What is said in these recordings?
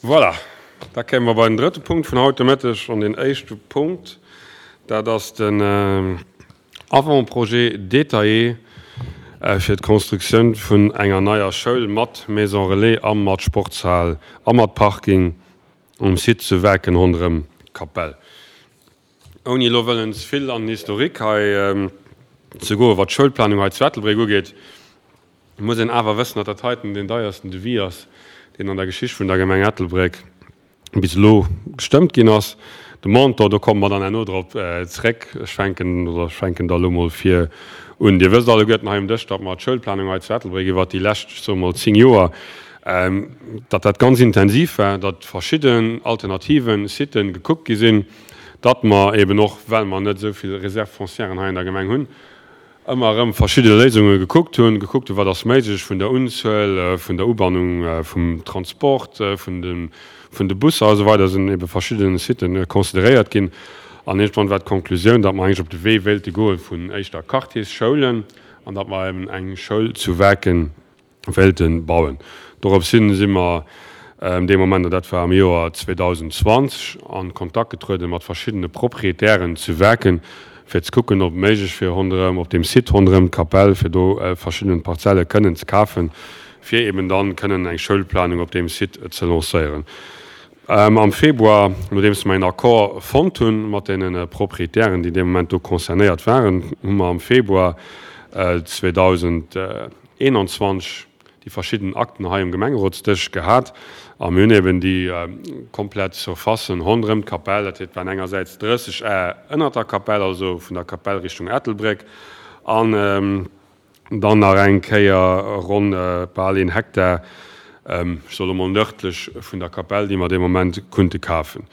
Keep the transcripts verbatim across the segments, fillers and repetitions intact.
Voilà, da kéime mer bei den drëtte Punkt vun haut de Mëtteg. An deen éischte Punkt, dat ass den Avant-projet détaillé fir d'Constructioun vun enger neier Schoul mat Maison relais a mat Sportshal a mat Parking um Site zu Werken ronderëm d'Kapell. Ouni elo wëllen ze vill an den Historique hei ze goen, wat d'Schoulplanung hei zu Ettelbréck ugeet, muss een awer wëssen, datt dat heiten deen deiersten Devis ass, deen an der Geschicht vun der Gemeng Ettelbréck bis elo gestëmmt ginn ass. De Montant, do komme mer dann herno drop zréck. Ech fänken, oder ech fänken da elo mol vir un. Dir wësst alleguerten hei um Dësch, datt mer d'Schoulplanung hei zu Ettelbréck iwwert déi lescht, ech soe mol, zéng Joer, datt dat ganz intensiv war, datt verschidden alternativen Siten gekuckt gi sinn, datt mer eben och, well mer net esou vill Réserves foncièren hei an der Gemeng hunn, ëmmer erëm verschidde Léisunge gekuckt hunn, gekuckt hunn, wat ass méiglech vun der Unzuel, vun der Ubannung vum Transport, vun de, vun de Busser a sou weider, sinn ebe verschidde Siten consideréiert ginn. An iergendwann war d'Konklusioun, datt mer eigentlech op de Wee wéilte goe vun éischter Quartiersschoulen an datt mer eben eng Schoul zu Werken wéilte bauen. Dorops hin si mer dee Moment, an dat war am Joer zweedausendzwanzeg, a Kontakt getruede mat verschiddene Proprietären zu Werken, fir ze kucken, ob et méiglech wier, ronderëm, op deem Site ronderëm d'Kapell, fir do verschidden Parzelle kënnen ze kafen, fir eben dann kënnen eng Schoulplanung op deem Site ze lancéieren. Am Februar, nodeems mer een Accord fonnt hu mat deene Proprietären, déi dee Moment do concernéiert waren, hu mer am Februar zweedausendeenanzwanzeg déi verschidden Akten hei um Gemengerotsdësch gehat a mir hunn eben déi komplett Surfacen ronderëm d'Kapell, dat heet, waren engersäits drësseg Ar ënnert der Kapell, also vun der Kapell Richtung Ettelbréck, an dann nach eng Kéier ronn bal een Hektar, ech soe lo mol nërdlech vun der Kapell, déi mer dee Moment kunnte kafen.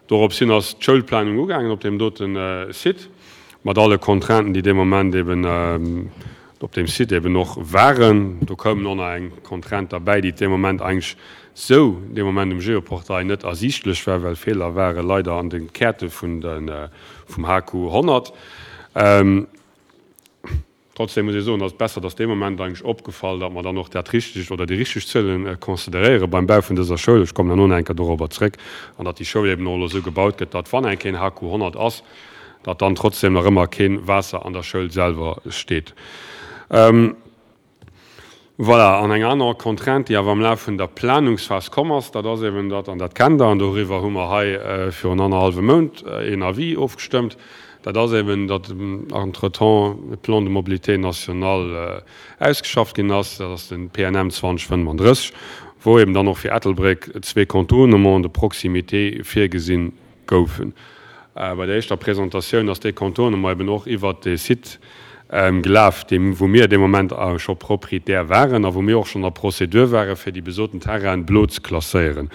Dorops hin ass d'Schoulplanung ugaangen op deem dote Site, mat alle Contrainten, déi dee Moment eben op deem Site eben och waren. Do koumen och nach eng Contrainte derbäi, déi dee Moment eigentlech sou dee Moment um Geoportail net ersiichtlech war, well Feeler ware leider an de Käerte vun de vum H Q honnert. Trotzdem muss ee soen, ass et besser, dass dee Moment eigentlech opgefall, datt mer dann och dat Richtegt oder déi richteg Zuele consideréiere beim Bau vun dëser Schoul. Ech kommen herno nach eng Kéier dorobber zréck. An datt déi Schoul eben och elo esou gebaut gëtt, datt wann eng Kéier en H Q honnert ass, datt dann trotzdem nach ëmmer kee Waasser an der Schoul selwer steet. Voilà, an eng aner Contrainte, déi awer am Laf vun der Planungsphas komm ass, dat ass eben datt, an dat kennt Der, an doriwwer hu mer hei virun annerhallwem Mount een Avis ofgestëmmt, dat ass eben, datt entretemps e Plan de mobilité national ausgeschafft ginn ass, dat ass de P N M zweedausendfënnefandrësseg, wou eben dann och fir Ettelbréck zwee Contournements de proximité virgesinn goufen. Bei der éischter Presentatioun ass dee Contournement eben och iwwert dee Site gelaf, deem wou mir dee Moment scho Proprietär waren a wou mir och schonn a Procédure ware fir déi besoten Terrainen blo ze klasséieren.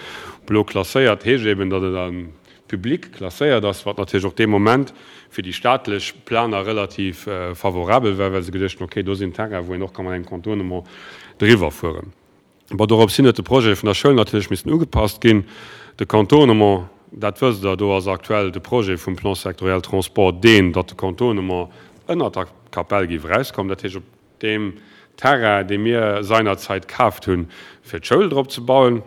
Blo klasséiert heescht eben, datt et am Public klasséiert ass, wat natierlech och dee Moment fir déi staatlech Planer relativ favorabel war, well se geduecht hunn, okay, do sinn Terrainen, wou een och ka mat engem Contournement driwwer fueren. Bon, dorops hin huet de Projet vun der Schoul natierlech missen ugepasst ginn. De Contournement, dat wësst Der, do ass aktuell de Projet vum Plan sectoriel Transport deen, datt de Contournement ënnert der Kapell géif erauskommen, dat heescht op deem Terrain, dee mir seinerzeit kaaft hunn, fir d'Schoul drop ze bauen.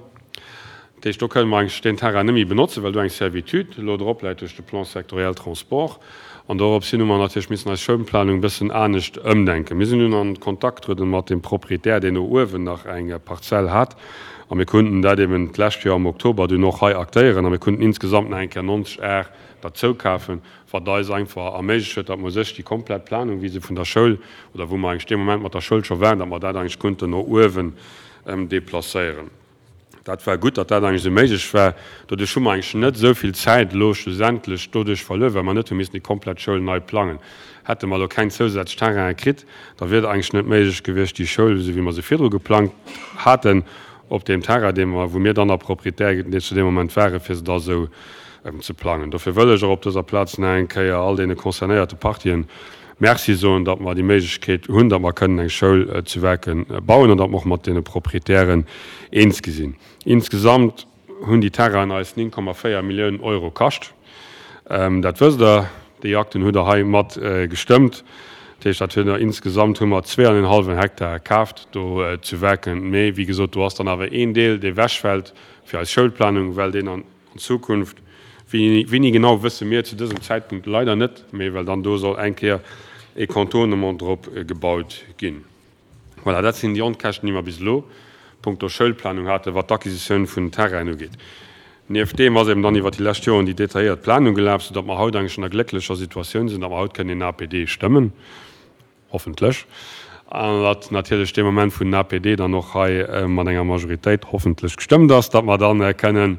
Dat heescht, do kënne mer eigentlech deen Terrain net méi benotzen, well do eng Servitude elo drop läit duerch de Plan sectoriel Transport. An dorops hin hu mer natierlech missen eis Schoulplanung e bëssen anescht ëmdenken. Mir sinn dunn an Kontakt getrueden mat dem Proprietär, deen do uewen nach eng Parzell hat, a mir kunnten dat eben d'lescht Joer am Oktober dunn och hei aktéieren a mir kunnten insgesamt nach eng Kéier neunzeg Ar derzou kafen, wat eis einfach erméiglecht huet, datt mer u sech déi komplett Planung, wéi se vun der Schoul, oder wou mer eigentlech dee Moment mat der Schoul scho waren, datt mer dat eigentlech kunnten no uewen deplacéieren. Dat war gutt, datt dat eigentlech esou méiglech war. Doduerch hu mer eigentlech net esou vill Zäit elo schlussendlech doduerch verluer, well mer net hu missen déi komplett Schoul nei plangen. Hätte mer elo keng zousätzlech Terrainen kritt, da wier et eigentlech net méiglech gewiescht, déi Schoul, esou wéi mer se virdru geplangt haten, op deem Terrain, dee mer, wou mir dann nach Proprietär zu deem Moment waren, fir se da esou ze plangen. Dofir wëll ech och op dëser Plaz nach eng Kéier all deene concernéierte Partien Merci soen, datt mer déi Méiglechkeet hunn, datt mer kënnen eng Schoul zu Werken bauen an datt mer och mat deene Proprietären eens gi sinn. Insgesamt hunn déi Terrainen eis néng Komma véier Milliounen Euro kascht. Dat wësst Der, déi Akten hutt Der hei mat gestëmmt. Dat heescht, dat huet insgesamt hu mer zwee an en hallwen Hektar kaaft do zu Werken. Mee wéi gesot, do ass dann awer een Deel, dee wechfält fir eis Schoulplanung, well deen an Zukunft, wéini genau wësse mir zu dësem Zäitpunkt leider net, mee well dann do soll eng Kéier e Contournement drop gebaut ginn. Voilà, dat sinn déi Onkäschten, déi mer bis elo punkto Schoulplanung haten, wat d'Acquisitioun vun Terrainen ugeet. Nieft deem ass eben dann iwwert déi lescht Joren déi detailléiert Planung gelaf, soudatt mer haut eigentlech an der glécklecher Situatioun sinn, datt mer haut kënnen een A P D stëmmen, hoffentlech, an datt natierlech dee Moment, wou den A P D dann och hei mat enger Majoritéit hoffentlech gestëmmt ass, datt mer dann kënnen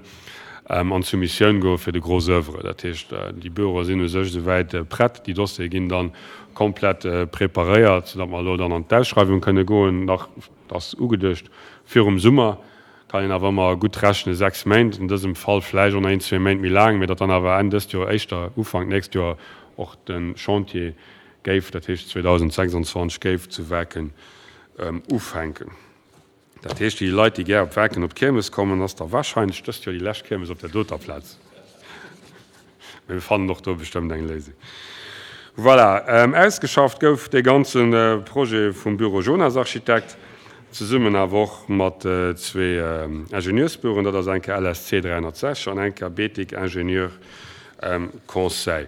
an d'Soumissioun goe fir de Gros oeuvre. Dat heescht, déi Büroe sinn u sech esouwäit prett, déi Dossiere ginn dann komplett preparéiert, soudatt mer elo dann an d'Ausschreiwung kënne goen, nach, dat ass ugeduecht virum Summer, kann een awer ëmmer gutt rechnen, sechs Méint, an dësem Fall vläicht och nach een, zwee Méint méi laang, mä datt dann awer Enn dëst Joer, éischter Ufank nächst Joer och de Chantier géif, dat heescht zweedausendsechsanzwanzeg, géif zu Werken ufänken. Dat heescht, déi Leit, déi gär op Werken op d'Kiermes kommen, ass da warscheinlech dëst Joer déi lescht Kiermes op där doter Plaz. Mä mir fannen och do bestëmmt eng Léisung. Voilà, ausgeschafft gouf dee ganze Projet vum Büro Jonas Architekt, zesummen awer och mat zwee Ingenieursbüroen, dat ass eng Kéier L S C dräihonnertsechzeg an eng Kéier Betic Ingénieur Conseil.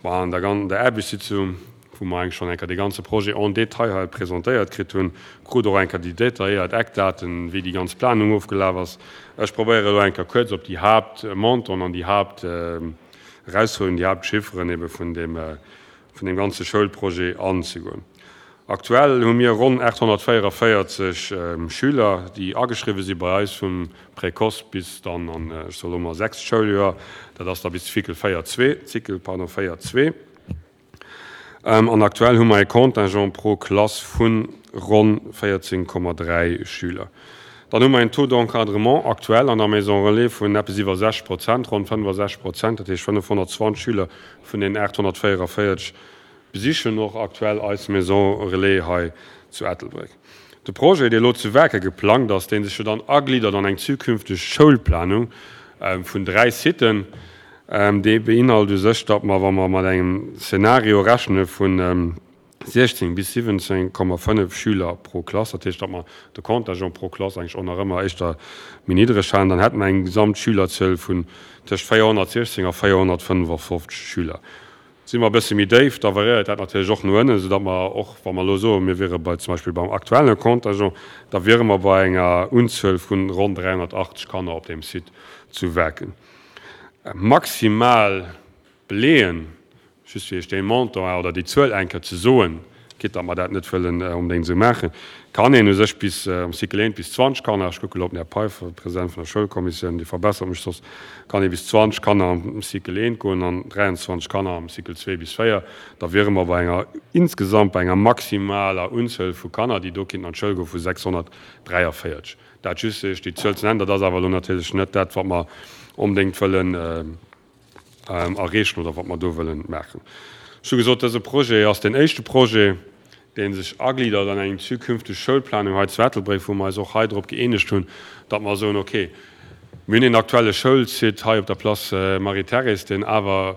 Bon, an der der Aarbechtssitzung, wou mer eigentlech schonn eng Kéier dee ganze Projet en détail hei presentéiert kritt hunn, krut och eng Kéier déi detailléiert Eckdaten, wéi déi ganz Planung ofgelaf ass. Ech probéiere elo eng Kéier kuerz op déi Haaptmontanten an déi Haapterausfuerderungen, déi Haaptchifferen ebe vun deem, vun deem ganze Schoulprojet anzegoen. Aktuell hu mir ronn aathonnertvéierevéierzeg Schüler, déi ageschriwwe si bei eis vum Précoce bis dann an, ech soe lo mol, sechst Schouljoer, dat ass da bis Cycle véier zwee, Cycle, pardon, véier zwee. An aktuell hu mer e Contingent pro Klass vu ronn véierzéng Komma dräi Schüler. Dann hu mer en Taux d'encadrement aktuell an der Maison Relais vun eppes iwwer sechzeg Prozent, ronn fënnefasechzeg Prozent, dat heescht fënnefhonnertzwanzeg Schüler vun den aathonnertvéierevéierzeg besichen och aktuell eis Maison Relais hei zu Ettelbréck. De Projet, dee elo zu Werke geplangt ass, dee sech jo dann agliddert an eng zukünfteg Schoulplanung vun dräi Siten, dee beinhalt u sech, datt mer, wa mer mat engem Szenario rechne vun siechzéng bis siwwenzéng Komma fënnef Schüler pro Klass, dat heescht, datt mer de Contingent pro Klass eigentlech och nach ëmmer éischter méi niddreg halen, dann hätte mer eng Gesamtschülerzuel vun tëscht véierhonnertsiechzéng a véierhonnertfënnefofzeg Schüler. Si mer e bësse méi déif, da variéiert dat natierlech och no ënnen, soudatt mer och, wa mer elo soen, mir wiere bei zum Beispill beim aktuelle Contingent, da wiere mer bei enger Unzuel vun ronn dräihonnertachtzeg Kanner op deem Site zu Werken. Maximal beleeën, just fir Iech dee Montant oder déi Zuel eng Kéier ze soen, quitte datt mer dat net wëllen onbedéngt esou maachen, kann een u sech bis am Cycle eent bis zwanzeg Kanner, ech kucke elo op den Här Peiffer, President vun der Schoulkommissioun, dee verbessert mech soss, kann ee bis zwanzeg Kanner am Cycle eent goen an dräianzwanzeg Kanner am Cycle zwee bis véier. Da wiere mer bei enger insgesamt bei enger maximaler Unzuel vu Kanner, déi do kinnten an d'Schoul goen, vu sechshonnertdräiavéierzeg. Dat just fir Iech déi Zuel ze nennen. Dat ass awer elo natierlech net dat, wat mer onbedéngt wëllen erreechen oder wat mer do wëllen maachen. Ech hu gesot, dëse Projet ass deen éischte Projet, dee sech agliddert an eng zukünfteg Schoulplanung hei zu Ettelbréck, wou mer eis och hei drop gëeenegt hunn, datt mer soen, okay, mir hunn een aktuelle Schoulsite hei op der Place Marie-Thérèse, deen awer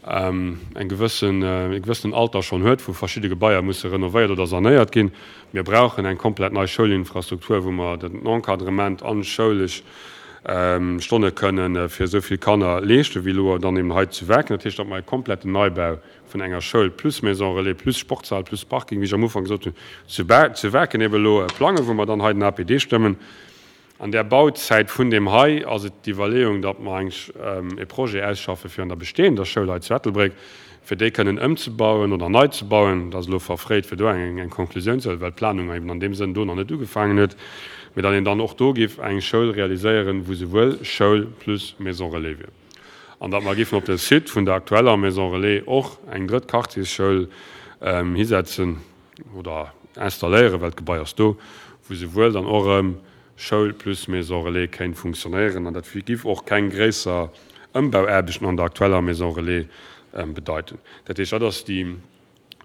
eng gewëssen, e gewëssenen Alter schonn huet, wou verschidde Gebaier musse renovéiert oder sanéiert ginn. Mir brauchen eng komplett nei Schoulinfrastruktur, wou mer den Encadrement an schoulesch Stonne kënnen fir esou vill Kanner leeschten, wéi elo dann eben hei zu Werken. Dat heescht, datt mer e kompletten Neibau vun enger Schoul plus Maison Relais, plus Sportshal, plus Parking, wéi ech am Ufank gesot hunn, zu zu Werken eben elo plangen, wou mer dann hei den A P D stëmmen. An där Bauzäit vun deem hei ass et d'Iwwerleeung, datt mer eigentlech e Projet ausschaffe fir an der bestehender Schoul hei zu Ettelbréck, fir déi kënnen ëmzebauen oder nei ze bauen. Dat ass elo verfréit, fir do eng eng Konklusioun ze huelen, well d'Planung eben an deem Sënn do nach net ugefaangen huet, mee datt een dann och do géif eng Schoul realiséieren, wou souwuel Schoul plus Maison Relais wier. An datt mer géifen op de Site vun der aktueller Maison Relais och eng drëtt Quartiersschoul hisetzen oder installéieren, well d'Gebai ass do, wou souwuel dann och erëm Schoul plus Maison Relais kéint funktionéieren. An dat giff och keng gréisser Ëmbauaarbechten an der aktueller Maison Relais bedeiten. Dat heescht, dat ass déi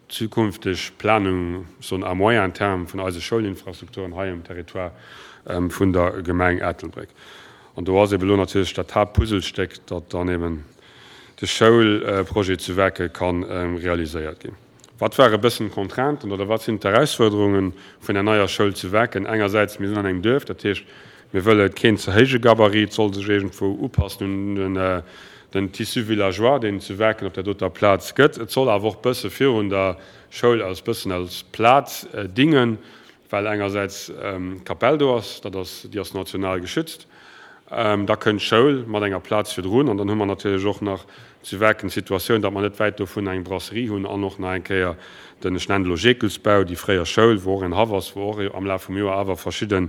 zukünfteg Planung, soen à moyen terme, vun eise Schoulinfrastrukturen hei um Territoire vun der Gemeng Ettelbréck. An do ass eben elo natierlech dat Haaptpuzzlestéck, datt dann eben de Schoulprojet zu Werke ka realiséiert ginn. Wat ware bëssen d'Contrainten oder wat sinn d'Erausfuerderunge vun der neier Schoul zu Werken? Engersäits, mir sinn an engem Duerf, dat heescht, mir wëlle keen ze héije Gabarit, et soll sech iergendwou upassen un den, den Tissu villageois, deen et zu Werken op där doter Plaz gëtt. Et soll awer och bësse virun der Schoul als bëssen als Plaz dingen, well engersäits d'Kapell do ass, dat ass, déi ass national geschützt. Da kënnt d'Schoul mat enger Plaz virdrun an dann hu mer natierlech och nach zu Werken d'Situatioun, datt mer net wäit dovun eng Brasserie hunn an och nach eng Kéier den, ech nennen et elo Jekelsbau, déi fréier Schoul, wou och en Haff ass, wou och am Laf vum Joer awer verschidde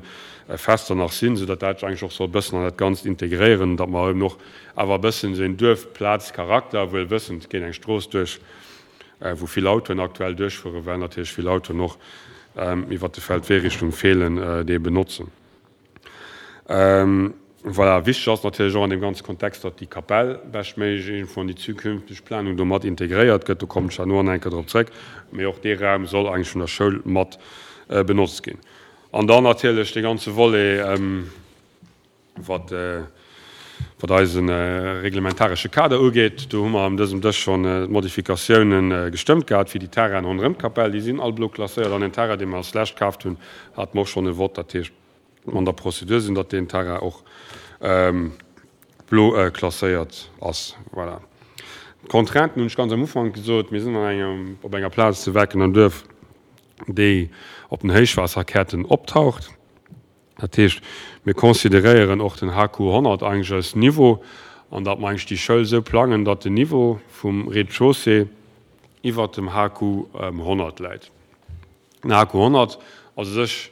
Fester nach sinn, soudatt dat eigentlech och soll e bëssen an dat Ganzt integréieren, datt mer eben och awer e bëssen esou een Duerfplazcharakter, wuel wëssend, et geet eng Strooss duerch, wou vill Autoen aktuell duerchfueren, well natierlech vill Autoen och iwwert de Feldwee Richtung Feelen dee benotzen. Voilà, wichteg ass natierlech och an deem ganze Kontext, datt déi Kapell beschtméiglech iergendwou an déi zukünfteg Planung do mat integréiert gëtt. Do kommen ech herno nach eng Kéier drop zréck. Mee och dee Raum soll eigentlech vun der Schoul mat benotzt ginn. An dann natierlech dee ganze Volet, wat wat eise reglementaresche Kader ugeet. Do hu mer an dësem Dësch schonn d'Modifikatiounen gestëmmt gehat fir déi Terrainen ronderëm d'Kapell. Déi sinn all blo klasséiert. An den Terrain, dee mer als lescht kaaft hunn, hate mer och schonn e Vott. Dat heescht, an der Prozedur sinn, datt deen Terrain och blo klasséiert ass. Voilà. D'Contrainten hunn ech ganz am Ufank gesot. Mir sinn an engem, op enger Plaz zu Werken am Duerf, déi op den Héichwaasserkäerten optaucht. Dat heescht, mir consideréieren och den H Q honnert eigentlech als Niveau an datt mer eigentlech déi Schoul esou plangen, datt den Niveau vum Rez-de-chaussée iwwert dem H Q honnert läit. Den H Q honnert ass u sech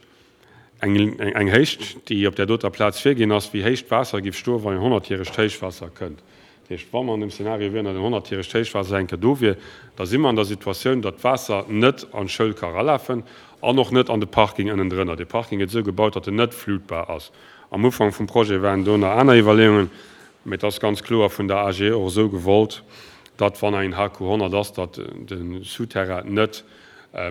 eng, eng Héicht, déi op där doter Plaz virginn ass, wéi héich d'Waasser géif stoen, wann en honnertjäregt Héichwaasser kënnt. Dat heescht, wa mer an dem Szenario wieren, datt en honnertjäregt Héichwaasser eng Kéier do wier, da si mer an der Situatioun, datt d'Waasser net an d'Schoul ka eralafen an och net an de Parking ënnendrënner. Dee Parking gëtt esou gebaut, datt en net flutbar ass. Am Ufank vum Projet waren do nach aner Iwwerleeungen, mee et ass ganz kloer vun der A G E och esou gewollt, datt, wann en H Q honnert ass, datt de Souterrain net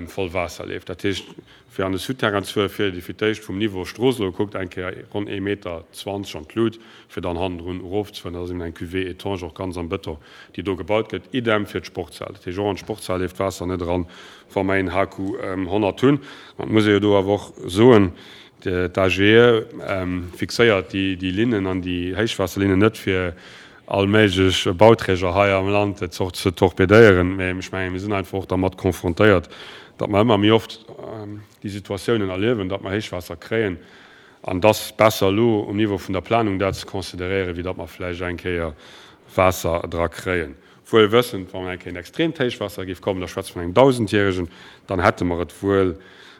voll Waasser leeft. Dat heescht, fir an de Souterrain ze fueren, fiert ee fir d'éischt vum Niveau Strooss elo gekuckt eng Kéier ronn ee Meter zwanzeg an d'Lut, fir dann hannendrun erofzefueren. Dat ass eben eng Cuvée étanche, och ganz am Bëton, déi do gebaut gëtt. Idem fir d'Sportshal. Dat heescht, och an d'Sportshal leeft d'Waasser net eran, wa mer een H Q honnert hunn. An et muss ee jo do awer och soen, d'A G E fixéiert déi Linnen an déi Héichwaasserlinnen net fir all méiglech Bauträger hei am Land ze torpedéieren, mä ech mengen, mir sinn einfach och dermat konfrontéiert, datt mer ëmmer méi oft déi Situatiounen erliewen, datt mer Héichwaasser kréien, an dass besser elo um Niveau vun der Planung dat ze consideréieren, wéi datt mer vläicht eng Kéier Waasser dra kréien. Wuel wëssend, wann eng Kéier en extreemt Héichwaasser géif kommen, da schwätze mer vun engem Dausendjäregen, dann hätte mer et wuel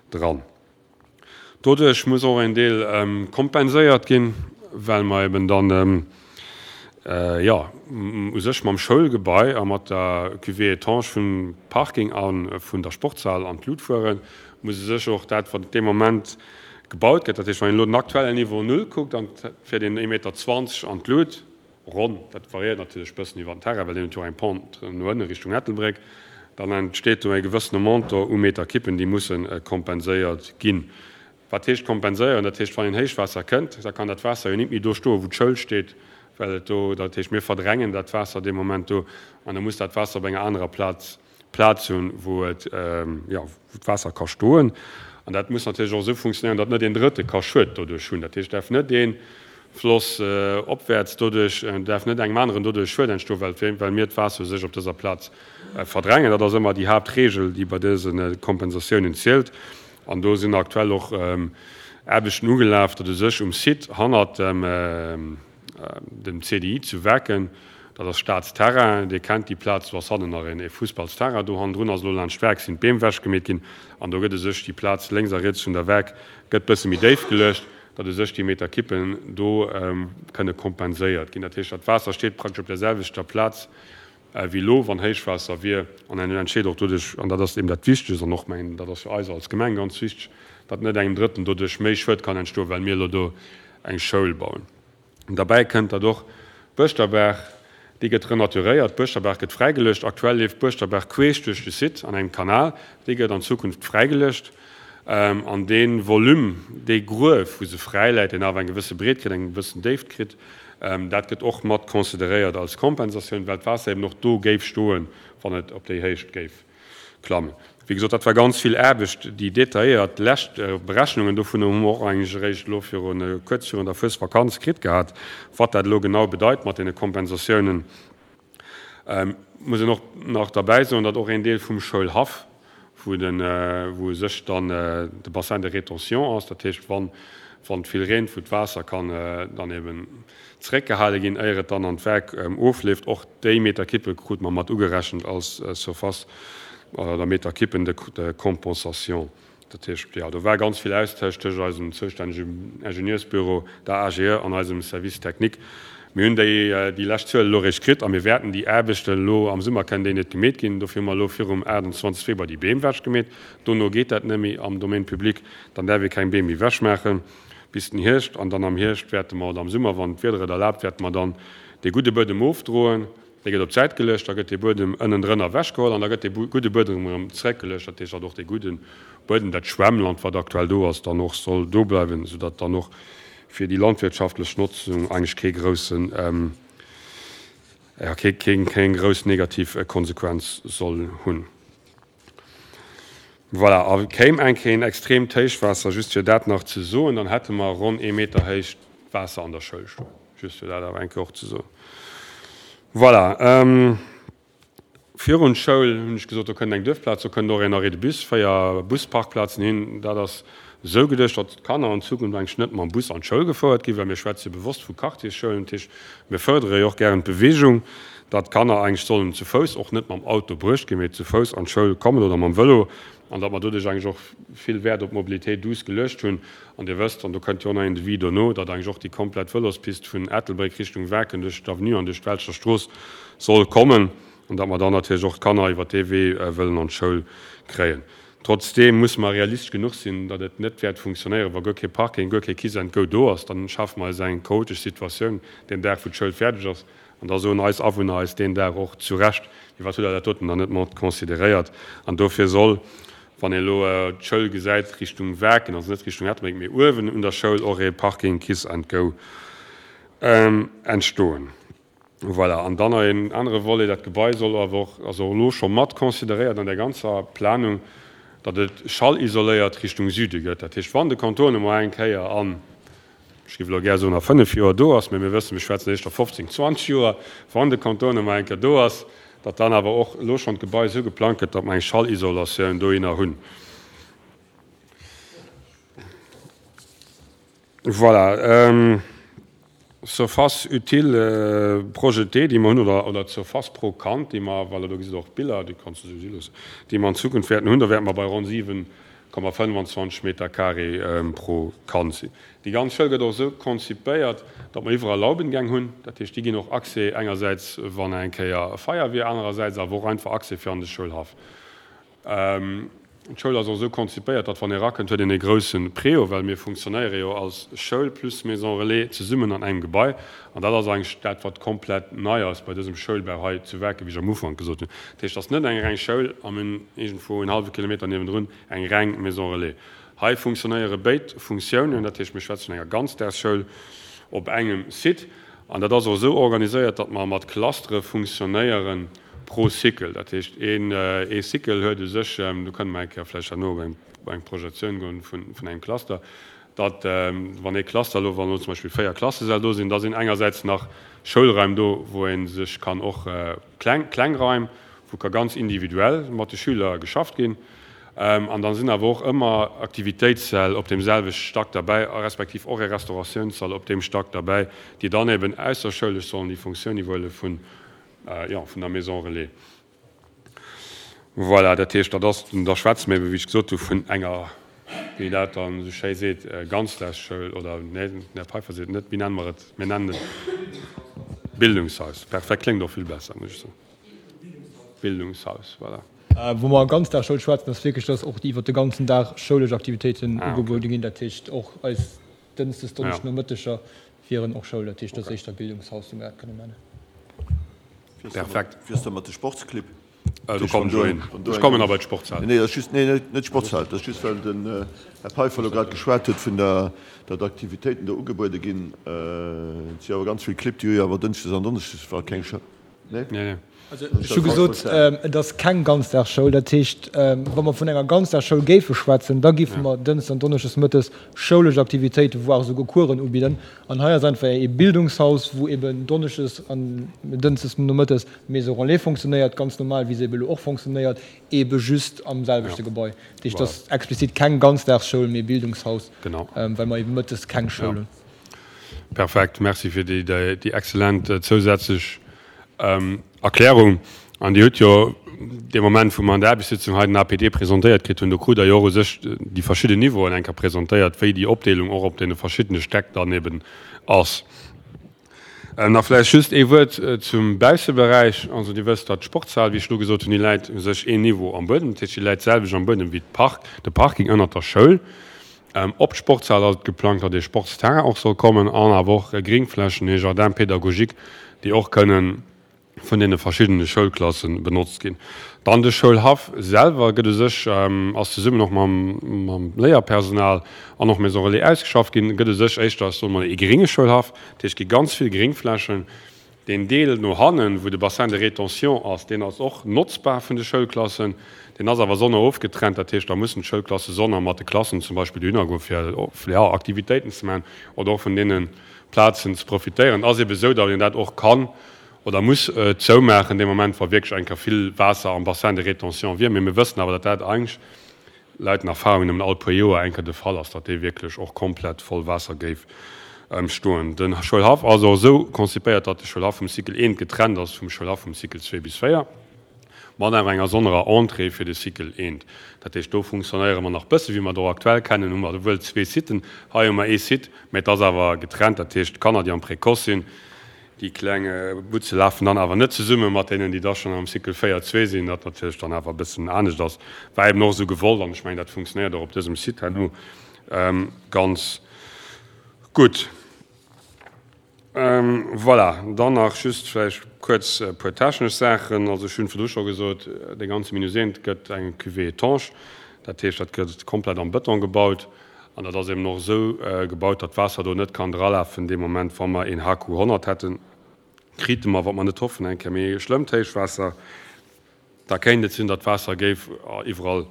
dran. Doduerch muss och en Deel kompenséiert ginn, well mer eben dann, jo, u sech mam Schoulgebai a mat der Cuvée étanche vum Parking a vun der Sportshal an d'Lut fueren, muss u sech och dat, wat dee Moment gebaut gëtt, dat heescht, wann een elo den aktuellen Niveau null kuckt an et fiert een ee Meter zwanzeg an d'Lut, ronn, dat variéiert natierlech e bëssen iwwer den Terrain, well deen huet jo och eng Pente no ënne Richtung Ettelbréck, dann entsteet do e gewëssene Montant u Meterkippen, déi musse kompenséiert ginn. Wat heescht kompenséieren? Dat heescht, wann een Héichwaasser kënnt, da kann dat Waasser jo nit méi do stoen, wou d'Schoul steet, well et do, dat heescht, mir verdrängen dat Waasser dee Moment do an da muss dat Waasser op enger anerer Plaz Plaz hunn, wou et, jo, wou d'Waasser ka stoen. An dat muss natierlech och esou funktionéieren, datt net een Drëtte ka Schued doduerch hunn. Dat heescht, et däerf net ee Floss opwäerts doduerch, et däerf net engem aneren doduerch Schued entstoen, well, well mir d'Waasser u sech op dëser Plaz verdrängen. Dat ass ëmmer déi Haaptregel, déi bei dëse Kompensatiounen zielt. An do sinn aktuell och Aarbechten ugelaf, datt u sech um Site hannert dem, dem C D I zu Werken, dat ass Staatsterrain, Dir kennt déi Plaz, do ass hannen nach een Fussballsterrain, do hannendrun ass elo laanscht d'Werk sinn d'Beem wechgemeet ginn an do gëtt u sech déi Plaz lénks a riets vun der Werk gëtt bësse méi déif geluecht, datt u sech déi Meter Kippen do kënne kompenséiert ginn. Dat heescht, dat Waasser steet praktesch op der selwechter Plaz wéi elo, wann Héichwaasser wier, an en entsteet och doduerch, an dat ass eben dat Wichtegst an och mengen, dat ass fir eis als Gemeng ganz wichteg, datt net engem Drëtten doduerch méi Schued kann entstoen, well mir elo do eng Schoul bauen. Derbäi kënnt, datt och d'Buerschterberg, déi gëtt renaturéiert, d'Buerschterberg gëtt fräigeluecht. Aktuell leeft d'Buerschterberg queesch duerch de Site an engem Kanal, déi gëtt an Zukunft fräigeluecht. An dee Volume, dee Gruef, wou se fräiläit, deen awer eng gewësse Breet kritt, eng gewëssen Déift kritt, dat gëtt och mat consideréiert als Kompensatioun, well d'Waasser eben och do géif stoen, wann et op déi Héicht géif klammen. Wéi gesot, dat war ganz vill Aarbecht. Déi detailléiert lescht Berechnungen dovun hu mer och eigentlech eréischt elo virun, kuerz virun der Fuesvakanz kritt gehat, wat dat elo genau bedeit mat deene Kompensatiounen. Muss een och nach derbäi soen, datt och een Deel vum Schoulhaff, wou de, wou u sech dann de Bassin de rétention ass, dat heescht, wann, wann et vill reent, wou d'Waasser kann dann eben zeréckgehale ginn, éier et dann an d'Werk ofleeft, och déi Meterkippe krute mer mat ugerechent als Surface oder Meterkippen de compensation. Dat heescht, jo, do war ganz vill Austausch tëscht eisem zoustännegem Ingenieursbüro, der AGE an eisem Service technique. Mir hunn déi, déi lescht Zuel elo eréischt kritt a mir wäerten déi Aarbechten elo am Summer kënnen déi net gemeet ginn. Dofir hu mer elo virum aachtundzwanzeg Februar déi Beem wechgemeet. Dono geet dat net méi am Domaine public, dann däerf ee keng Beem méi wechmaache bis den Hierscht. An dann am Hierscht wäerte mer, oder am Summer, wann d'Wieder et erlaabt, wäerte mer dann dee gudde Buedem ofdroen. Dee gëtt op d'Säit geluecht, da gëtt dee Buedem ënnendrënner ewechgeholl an da gëtt dee gudde Buedem erëm zeréckgeluecht. Dat heescht, datt och dee gudde Buedem, dat Schwemmland, wat aktuell do ass, dann och soll do bleiwen, soudatt dann och fir déi landwirtschaftlech Notzung eigentlech kee groussen, jo, kee, keng, keng grouss negativ Konsequenz soll hunn. Voilà, a kéim eng Kéier een extreemt Héichwaasser, just fir dat nach ze soen, dann hätte mer ronn ee Meter héicht Waasser an der Schoul stoen. Just fir dat awer eng Kéier och ze soen. Voilà, virun d'Schoul hunn ech gesot, do kënnt eng Duerfplaz, do kënnt och een Arrêt de bus, véier Busparkplazen hin. Dat ass esou geduecht, datt d'Kanner an Zukunft eigentlech net mam Bus an d'Schoul gefouert ginn, well mir schwätze jo bewosst vu Quartiersschoulen. Dat heescht, mir fërdere jo och gären d'Bewegung, datt d'Kanner eigentlech sollen zu Fouss, och net mam Auto bruecht ginn, mee zu Fouss an d'Schoul kommen oder mam Vëlo. An datt mer doduerch eigentlech och vill Wäert op d'Mobilité douce geluecht hunn. An Dir wësst, an do kënnt jo och nach een Devis dono, datt eigentlech och déi komplett Vëlospist vun Ettelbréck Richtung Waarken duerch d'Avenue an duerch d'Welscher Strooss soll kommen an datt mer dann natierlech och d'Kanner iwwert dee Wee wëllen an d'Schoul kréien. Trotzdeem musse mer realistesch genuch sinn, datt et net wäert funktionéieren, wa guer kee Parking, guer kee Kiss and Go do ass. Dann schafe mer eis eng chaotesch Situatioun deen Dag, wou d'Schoul fäerdeg ass. An da soen eis Awunner eis deen Dag och zu Recht, Mee wat hutt Der dat doten dann net mat consideréiert? An dofir soll, wann ee elo d'Schoul gesäit Richtung Waarken, also net Richtung Ettelbréck, mee uewen un der Schoul och ee Parking Kiss and Go entstoen. Voilà. An dann nach een anere Volet, Dat Gebai soll awer och, ass och elo scho mat consideréiert an där ganzer Planung, datt et schallisoléiert Richtung Süde gëtt. Dat heescht, wann de Contournement eng Kéier an, ech géif elo gär soen a fënnef Joer do ass, mä mir wëssen, mir schwätzen éischter fofzéng, zwanzeg Joer, wann de Contournement eng Kéier do ass, datt dann awer och elo schonn d'Gebai esou geplangt gëtt, datt mer eng Schallisolatioun dohinner hunn. Voilà. Surface utile projetée, déi mer hunn, oder, oder d'Surface pro Kand, déi mer, voilà, do gesitt Der och d'Biller, déi kanns du esou si loossen, déi mer an Zukunft wäerten hunn, do wäerte mer bei ronn siwen Komma fënnwanzwanzeg Meter carré pro Kand sinn. Déi ganz Schoul gëtt och esou konzipéiert, datt mer iwwerall Laubengäng hunn. Dat heescht, déi ginn och Accès engersäits, wann eng Kéier Feier wier, anerersäits awer och einfach Accès fir an de Schoulhaff. D'Schoul ass och esou konzipéiert, datt wann ee erakënnt, huet een e grousse Préau, well mir funktionéiere jo als Schoul plus Maison Relais zesummen an engem Gebai. An dat ass eigentlech dat, wat komplett nei ass bei dësem Schoulbau hei zu Waarken, wéi ech am Ufank gesot hunn. Dat heescht, et ass net eng reng Schoul a mir hunn iergendwou en hallwe Kilometer niewendrun eng reng Maison Relais. Hei funktionéiere béid Funktiounen, dat heescht, mir schwätze vun enger Ganzdagsschoul op engem Site. An dat ass och esou organiséiert, datt mer mat Clustere funktionéieren pro Cycle. Dat heescht, een ee Cycle huet u sech, do kënne mer eng Kéier vläicht herno op eng Projektioun goen vun engem Cluster, datt wann ee Cluster elo, wann elo zum Beispill véier Klassesäll do sinn, da sinn engersäits nach Schoulraim do, wou ee sech kann och kleng, kleng Raim, wou ka ganz individuell mat de Schüler geschafft ginn. An da sinn awer och ëmmer Aktivitéitssäll op deem selwechte Stack derbäi, respektiv och e Restauratiounssall op deem Stack derbäi, déi dann eben ausserschoulesch sollen déi Funktioun iwwerhuele vun, jo, vun der Maison relais. Voilà, dat heescht, dat ass, da schwätze mir eben, wéi ech gesot hu, vun enger, wéi een dat dann esou schéi seet, Ganzdagsschoul oder, nee, den Här Peiffer seet net, wéi nenne mer et? Mir nennen et Bildungshaus. Perfekt, kléngt och vill besser, muss ech soen. Bildungshaus, voilà. Wou mer Ganzdagsschoul schwätzen, ass wierklech, dass och iwwert de ganzen Dag schoulesch Aktivitéiten ugebuede ginn. Dat heescht, och eis Dënschdes, Donneschdenomëtteger wieren och Schoul. Dat heescht, dat ass éischter Bildungshaus, wéi mer dat kënnen nennen. Perfekt. Wéi ass dat mat de Sportsclibb? Do kommen ech elo hin. Ech kommen nach bei d'Sportshal. Nee, dat ass just, nee, net d'Sportshal. Dat ass just, well den Här Peiffer elo grad geschwat huet vun der, datt Aktivitéiten do ugebuede ginn. Et si awer ganz vill Clibb, déi hu jo awer dënschdes an donneschdes keng Schoul. Nee? Nee, nee. Also ech hu gesot, et ass keng Ganzdagsschoul. Dat heescht, wa mer vun enger Ganzdagsschoul géife schwätzen, da géife mer dënschdes an donneschdes mëttes schoulesch Aktivitéiten, voire esouguer Coursen ubidden. An hei ass einfach ee Bildungshaus, wou eben donneschdes an dënschdes nomëttes d'Maison relais fonctionnéiert, ganz normal, wéi se ebe elo och fonctionnéiert, ebe just am selwechte Gebai. Dat heescht, et ass explizit keng Ganzdagsschoul, mee Bildungshaus, well mer ebe mëttes keng Schoul hunn. Perfekt, Merci fir déi exzellent zousätzlech Erklärung. An Dir hutt jo dee Moment, wou mer an der Aarbechtssitzung hei den A P D presentéiert kritt hunn, do krut Der jo och u sech déi verschidden Niveauen eng Kéier presentéiert, wéi déi Opdeelung och op deene verschiddene Stäck dann eben ass. Nach vläicht just ee Wuert zum Bausseberäich. Also Dir wësst, datt d'Sportshal, wéi ech elo gesot hunn, déi läit u sech een Niveau am Buedem. Dat heescht, déi läit d'selwecht am Buedem wéi d'Park, de Parking ënnert der Schoul. Op d'Sportshal ass et geplangt, datt ee Sportsterrain och soll kommen an awer och Gringflächen, ee Jardin pédagogique, déi och kënnen vun deene verschiddene Schoulklasse benotzt ginn. Dann de Schoulhaff selwer gëtt u sech, ass zesummen och mam, mam Léierpersonal an och Maison Relais ausgeschafft ginn, gëtt u sech éischter, ech soe mol, ee gringe Schoulhaff. Dat heescht, et gi ganz vill Gringflächen. Deen Deel no hannen, wou de Bassin de rétention ass, deen ass och notzbar vun de Schoulklassen. Deen ass awer sonner ofgetrennt. Dat heescht, da mussen d'Schoulklasse sonner mat de Klassen zum Beispill dohinner goen, fir, ja, Aktivitéiten ze maachen oder och vun deene Plazen ze profitéieren. Et ass ebe sou, datt een dat och kann oder muss zoumaachen dee Moment, wa wierklech eng Kéier vill Waasser am Bassin de rétention wier. Mee mir wëssen awer, datt dat eigentlech laut den Erfahrungen nëmmen all puer Joer eng Kéier de Fall ass, datt dee wierklech och komplett voll Waasser géif stoen. De Schoulhaff ass och esou konzipéiert, datt de Schoulhaff vum Cycle eent getrennt ass vum Schoulhaff vum Cycle zwee bis véier, mat awer enger sonnerer Entrée fir de Cycle eent. Dat heescht, do funktionéiere mer nach bësse wéi mer et och aktuell kennen, hu mer wuel zwee Siten, hei hu mer ee Site, mä et ass awer getrennt. Dat heescht, d'Kanner, déi am Précoce sinn, déi kleng Butze lafen dann awer net zesumme mat deenen, déi da schonn am Cycle véier zwee sinn, wat natierlech dann awer e bëssen anescht ass. War eben och esou gewollt an ech mengen, dat funktionéiert och op dësem Site herno ganz gutt. Voilà, dann nach just vläicht kuerz e puer technesch Saachen. Also ech hunn virdru scho gesot, dee ganze Minus eent gëtt eng Cuvée étanche. Dat heescht, dat gëtt komplett am Bëton gebaut. An dat ass eben och esou gebaut, datt d'Waasser do net kann dralafen dee Moment, wa mer een H Q honnert hätten, krite mer, wat mer net hoffen, eng Kéier méi schlëmmt Héichwaasser, da kéint et sinn, datt d'Waasser géif iwwerall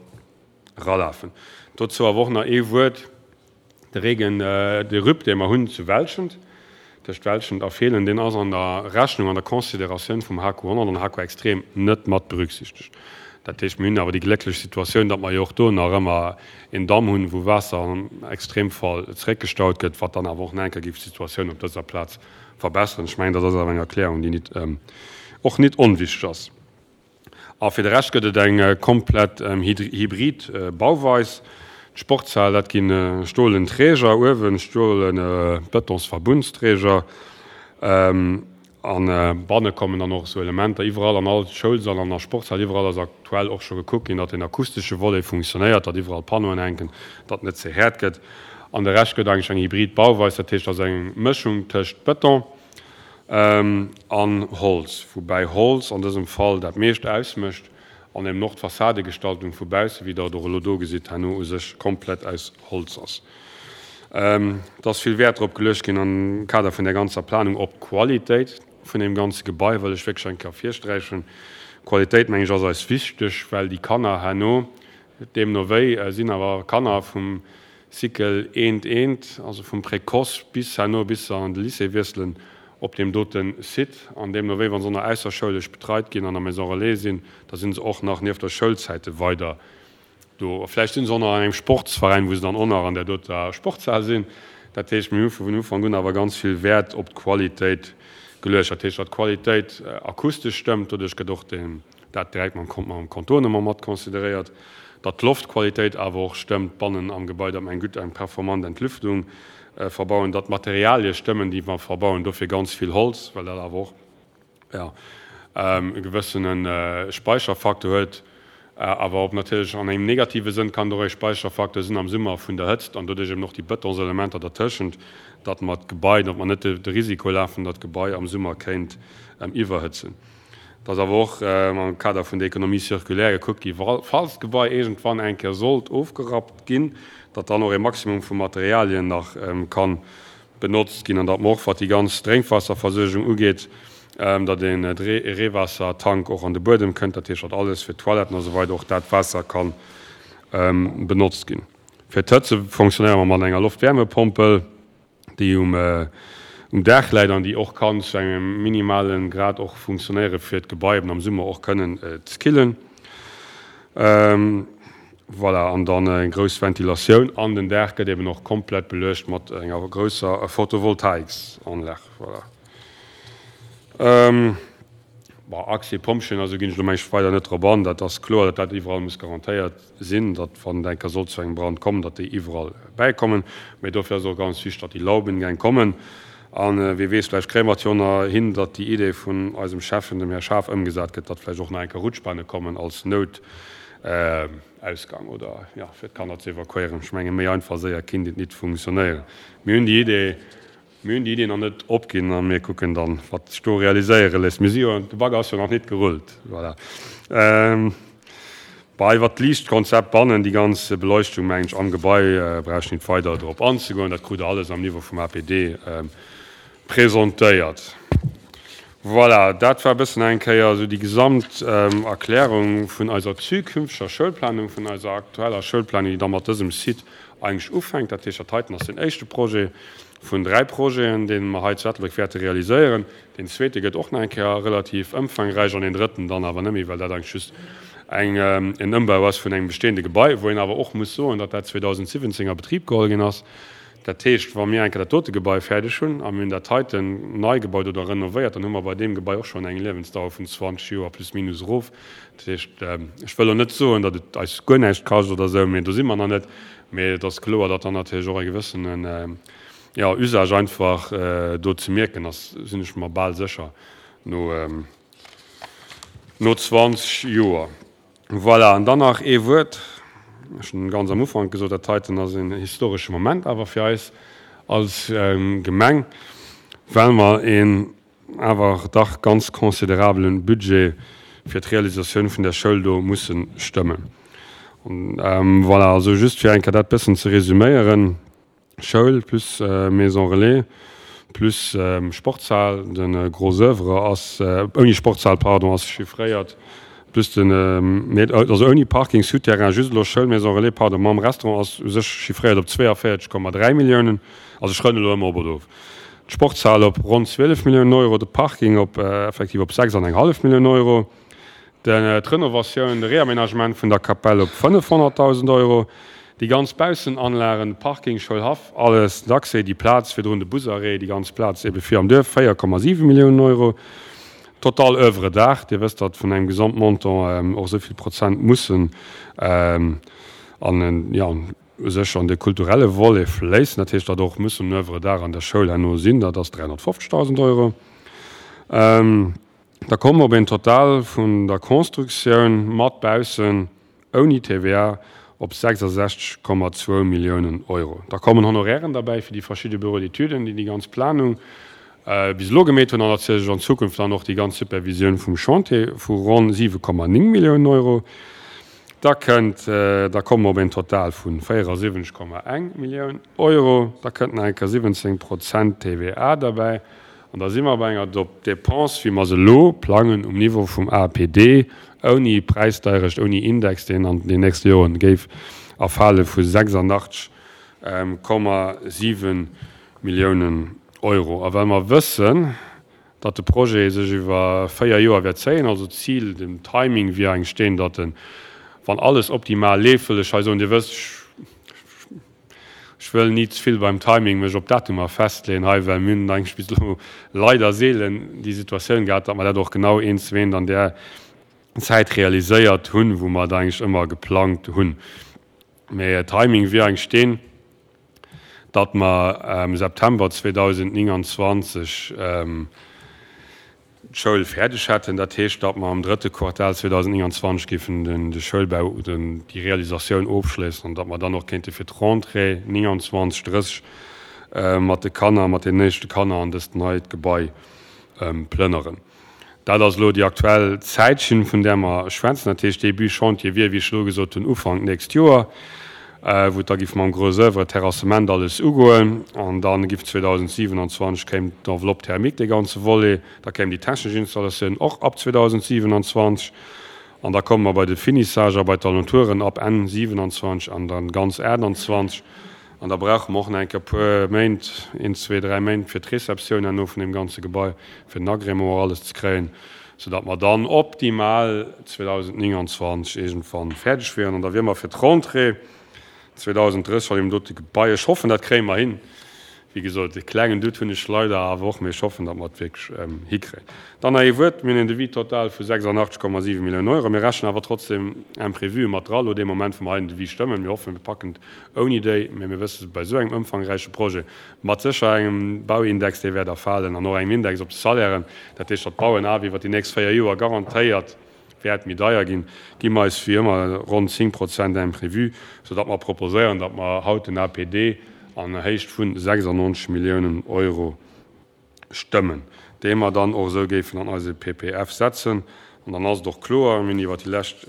ralafen. Dozou awer och nach ee Wuert, De Regen, de RUP, dee mer hunn zu Welschent, tëscht Welschent a Feelen, deen ass an der Rechnung, an der Consideratioun vum H Q honnert an H Q Extrem net mat berücksichtegt. Dat heescht, mir hunn awer déi glécklech Situatioun, datt mer jo och do nach ëmmer een Damm hunn, wou Waasser am Extremfall zeréckgestaut gëtt, wat dann awer och nach eng Kéier géif d'Situatioun op dëser Plaz verbesseren. Ech mengen, dat ass awer eng Erklärung, déi nit, och nit onwichtig ass. A fir de Rescht gëtt et eng komplett hybrid Bauweis. D'Sportshal, dat gi stolen Träger uewen, stolen Betonsverbundsträger. A banne kommen dann och esou Elementer. Iwwerall an all Schoulsall an a Sportshal, iwwerall ass aktuell och scho gekuckt ginn, datt den akustesche Volet funktionéiert, datt iwwerall Panneauen hänken, datt net ze haart gëtt. An de Rescht gëtt eigentlech eng hybrid Bauweis, dat heescht, et ass eng Mëschung tëscht Beton an Holz, woubäi Holz an dësem Fall dat meescht ausmécht an eben och d'Fassadegestaltung vu bausse, wéi Der et och elo do gesitt, herno u sech komplett aus Holz ass. Et ass vill Wäert drop geluecht ginn am Kader vun där ganzer Planung op d'Qualitéit vun deem ganze Gebai, wëll ech wierklech eng Kéier ervirsträichen. Qualitéit, meng ech, ass eis wichteg, well déi Kanner herno, deemno wéi, sinn awer Kanner vum Cycle eent eent, also vum Précoce bis herno, bis se an de Lycée wiesselen, op deem dote Site. An deemno wéi, wa se och nach ausserschoulesch betreit ginn an der Maison Relais sinn, da si se och nach nieft der Schoulzäite weider do. Vläicht si se och nach an engem Sportsveräin, wou se dann och nach an där doter Sportshal sinn. Dat heescht, mir hu vun Ufank un awer ganz vill Wäert op d'Qualitéit geluecht. Dat heescht, datt d'Qualitéit akustesch stëmmt, doduerch gëtt och deen, dat direkt mam mam Contournement mat consideréiert, datt d'Loftqualitéit awer och stëmmt bannen am Gebai, datt mer eng gutt, eng performant Entlüftung verbauen, datt d'Materialie stëmmen, déi mer verbauen, dofir ganz vill Holz, well dat awer och, jo, e gewëssene Speicherfaktor huet, awer och natierlech an engem negative Sënn kann et och e Speicherfaktor sinn am Summer vun der Hëtzt an doduerch eben och déi Bëtonselementer dertëschent, datt mer d'Gebai, datt mer net de Risiko lafen, datt d'Gebai am Summer kéint iwwerhëtzen. Et ass awer och am Kader vun der Économie circulaire gekuckt gi, falls d'Gebai iergendwann eng Kéier sollt ofgerappt ginn, datt dann och e Maximum vu Materialien nach ka benotzt ginn an datt mer och, wat déi ganz Drénkwaasserversuergung ugeet, datt e Reewaassertank och an de Buedem kënnt, dat heescht, datt alles fir d'Toiletten a sou weider och dat Waasser ka benotzt ginn. Fir d'Hëtze fonctionnéiere mer mat enger Loftwärmepompel, déi um Daach läit an déi och kann zu engem minimale Grad och funktionéiere fir d'Gebai eben am Summer och kënnen ze killen. Voilà, an dann eng grouss Ventilatioun an den Daach gëtt eben och komplett beluecht mat enger grousser Photovoltaiksanlag. Voilà. Bon, Accès Pompjeeën, also ginn ech elo mengen ech weider net drop an. Dat ass kloer, datt dat iwwerall muss garantéiert sinn, datt wann et eng Kéier sollt zu engem Brand kommen, datt déi iwwerall bäikommen. Mee dofir ass et och ganz wichteg, datt déi Laubengäng kommen. A wie weess, vläicht kréie mer et jo nach hin, datt déi Idee vun eisem Schäffen, dem Här Schaaf, ëmgesat gëtt, datt vläicht och nach eng Kéier Rutschbahne kommen als Noutausgang oder, jo, fir d'Kanner ze evakuéieren. Ech menge méi einfach séier kinnt et nit funktionéieren. Mir hunn déi Idee. Mir hunn déi Idee nach net opginn a mir kucken dann, wat sech do realiséiere léisst. Mir si jo, de Bagger ass jo nach nit gerullt. Voilà. Bah, iwwert d'Liichtkonzept bannen, déi ganz Beleuchtung, mengen ech, am Gebai, brauch ech nit weider drop anzegoen. Dat krut Der alles am Niveau vum A P D presentéiert. Voilà, dat war e bëssen eng Kéier esou déi gesamt Erklärung vun eiser zukünfteger Schoulplanung, vun eiser aktueller Schoulplanung, déi da mat dësem Site eigentlech ufänkt. Dat heescht, dat heiten ass den éischte Projet vun dräi Projeten, dee mer hei zu Ettelbréck wäerte realiséieren. Deen zweete gëtt och nach eng Kéier relativ ëmfangräich an deen drëtten dann awer net méi, well dat eigentlech just eng en Ëmbau ass vun engem bestehende Gebai, wou een awer och muss soen, datt dat zweedausendsiwwenzéng a Betrib geholl ginn ass. Dat heescht, wa mir eng Kéier dat dote Gebai fäerdeg hunn a mir hunn dat heiten nei gebaut oder renovéiert, dann hu mer bei deem Gebai och schonn eng Liewensdauer vun zwanzeg Joer plus minus erof. Dat heescht, ech wëll elo net soen, datt et eis guer näischt kascht oder esou, mee do si mer nach net. Mee et ass kloer, datt dann natierlech och e gewëssenen, jo, Usage einfach do ze mierken ass, sinn ech mer bal sécher, no, no zwanzeg Joer. Voilà, an dann nach ee Wuert, ech hunn ganz am Ufank gesot, dat heiten ass en historesche Moment awer fir eis als Gemeng, well mer een awer dach ganz considerabele Budget fir d'Realisatioun vun där Schoul do musse stëmmen. Voilà, also just fir eng Kéier dat bëssen ze resüméieren, Schoul plus Maison relais plus Sportshal, de Gros oeuvre ass, ouni Sportshal, pardon, ass chiffréiert, plus den, nee, also ouni Parking, Souterrain, just elo Schoul, Maison relais, pardon, mam Restaurant ass u sech chiffréiert op zweeavéierzeg Komma dräi Milliounen, also ech rënne elo ëmmer op oder of, d'Sportshal op ronn zwielef Milliounen Euro, de Parking op effektiv op sechs an eng hallef Millioun Euro, d'Renovatioun, de Réaménagement vun der Kapell op fënnefhonnertdausend Euro, déi ganz Baussenanlagen, Parking, Schoulhaff, alles, d'Accès, déi Plaz virdrun, de Busarrêt, déi ganz Plaz ebe vir am Duerf, véier Komma siwe Milliounen Euro. Total Oeuvre d'art, Dir wësst, datt vun engem Gesamtmontant och esou vill Prozent mussen an, jo, u sech an de kulturelle Volet fléissen. Dat heescht, datt och mussen Oeuvre d'art an der Schoul herno sinn, dat ass dräihonnertfofzegdausend Euro. Da komme mer op een Total vun der Constructioun mat baussen, ouni T V A, op sechsasechzeg Komma zwou Milliounen Euro. Da kommen Honorairen derbäi fir déi verschidde Bureaux d'étuden, déi déi ganz Planung bis elo gemeet hunn an natierlech an Zukunft dann och déi ganz Supervisioun vum Chantier vu ronn siwe Komma néng Milliounen Euro. Da kënnt, da komme mer op een Total vu véierasiwwenzeg Komma eng Millioun Euro. Da kënnt nach eng Kéier siwwenzéng Prozent T V A derbäi. An da si mer bei enger Dépense, wéi mer se elo plangen, um Niveau vum A P D, ouni Präisdeierecht, ouni Index, deen an den nächste Joren géif erfale, vu sechsandachtzeg Komma siwe Milliounen Euro. A well mer wëssen, datt de Projet sech iwwer véier Joer wäert zéien, also d'Zil, den Timing wier eigentlech deen, datt en, wann alles optimal leeft, wëll ech hei soen, Dir wësst, ech wëll ni ze vill beim Timing mech op Datumer festleeën hei, well mir hunn eigentlech bis elo leider seelen déi Situatioun gehat, datt mer dat och genau eent zu eent an där Zäit realiséiert hunn, wou mer et eigentlech ëmmer geplangt hunn. Mee Timing wier eigentlech deen, datt mer am September zweedausendnénganzwanzeg d'Schoul fäerdeg hätten. Dat heescht, datt mer am drëtte Quartal zweedausendnénganzwanzeg géifen de Schoulbau, déi Realisatioun ofschléissen an datt mer dann och kéinte fir d'Rentrée nénganzwanzeg, drësseg mat de Kanner, mat den éischte Kanner an dëst neit Gebai plënneren. Dat ass elo déi aktuell Zäitschinn, vun där mer schwätzen. Dat heescht, Début Chantier wier, wéi ech elo gesot hunn, Ufank nächst Joer. wou et da giff mam Gros oeuvre, Terrassement, alles ugoen. An da giff zweedausendsiewenundzwanzeg kéim d'Enveloppe thermique, dee ganze Volet, da kéim déi technesch Installatioun och ab zweedausendsiewenundzwanzeg. An da komme mer bei de Finissage a bei d'Alentouren ab Enn siewenundzwanzeg an dann ganz aachtundzwanzeg. An da brauche mer och nach eng Kéier e puer Méint, een, zwee, dräi Méint fir d'Receptioun herno vun deem ganze Gebai, fir den Agrément och alles ze kréien, soudatt mer dann optimal zweedausendnénganzwanzeg iergendwann fäerdeg wieren. An da wiere mer fir d'Rentrée zweedausendrësseg an deem dote Gebai. Ech hoffen, dat kréie mer hin. Wéi gesot, e klengen Doute hunn ech leider awer och, mee ech hoffen, datt mer et wierklech hikréien. Dann nach ee Wuert, Mir hunn en Devis total vu sechsundachtzeg Komma siwe Milliounen Euro. Mir rechnen awer trotzdem Imprévue mat dra elo dee Moment, wou mer hei den Devis stëmmen. Mir hoffen, mir packen et ouni déi, mee mir wësse bei esou engem ëmfangräiche Projet mat sécher engem Bauindex, dee wäert erfalen, an och engem Index op de Salairen, dat heescht, datt d'Bauen awer iwwert déi nächst véier Joer garantéiert wäert méi deier ginn, gi mer eis wéi ëmmer ronn zéng Prozent Imprévu, soudatt mer proposéieren, datt mer haut den A P D an Héicht vu sechsundneunzeg Milliounen Euro stëmmen, dee mer dann och esou géifen an eise P P F setzen. An dann ass et och kloer, mir hunn iwwert déi lescht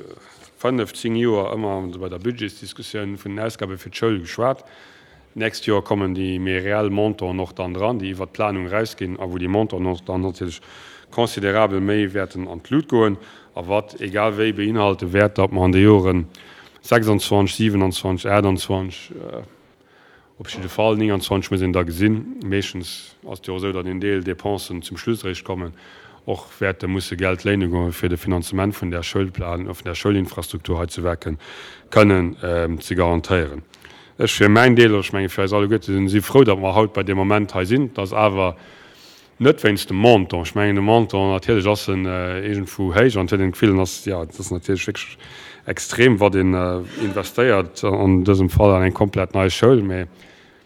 fënnef, zéng Joer ëmmer bei der Budgetsdiskussioun vun den Ausgabe fir d'Schoul geschwat. D'nächst Joer kommen déi méi reell Montanten och dann dran, déi iwwert d'Planung erausginn a wou déi Montanten och dann natierlech considerabel méi wäerten an d'Lut goen a wat egal wéi beinhalte wäert, datt mer an de Joren sechsundzwanzeg, siewenundzwanzeg, aachtundzwanzeg, op jidde Fall nénganzwanzeg muss een da gesinn, meeschtens ass et jo och esou, datt een Deel Dépensen zum Schluss eréischt kommen, och wäerte musse Geld léine goen, fir de Finanzement vun där Schoulplan, vun där Schoulinfrastruktur hei zu Werken kënnen ze garantéieren. Ech fir mäin Deel, oder ech menge fir eis alleguerte, si frou, datt mer haut bei deem Moment hei sinn. Et ass awer net wéinst dem Montant. Ech mengen, de Montant, natierlech ass en iergendwou héich an et huet een d'Gefill, en ass, jo, et ass natierlech wierklech extrem, wat een investéiert, an dësem Fall an eng komplett nei Schoul. Mä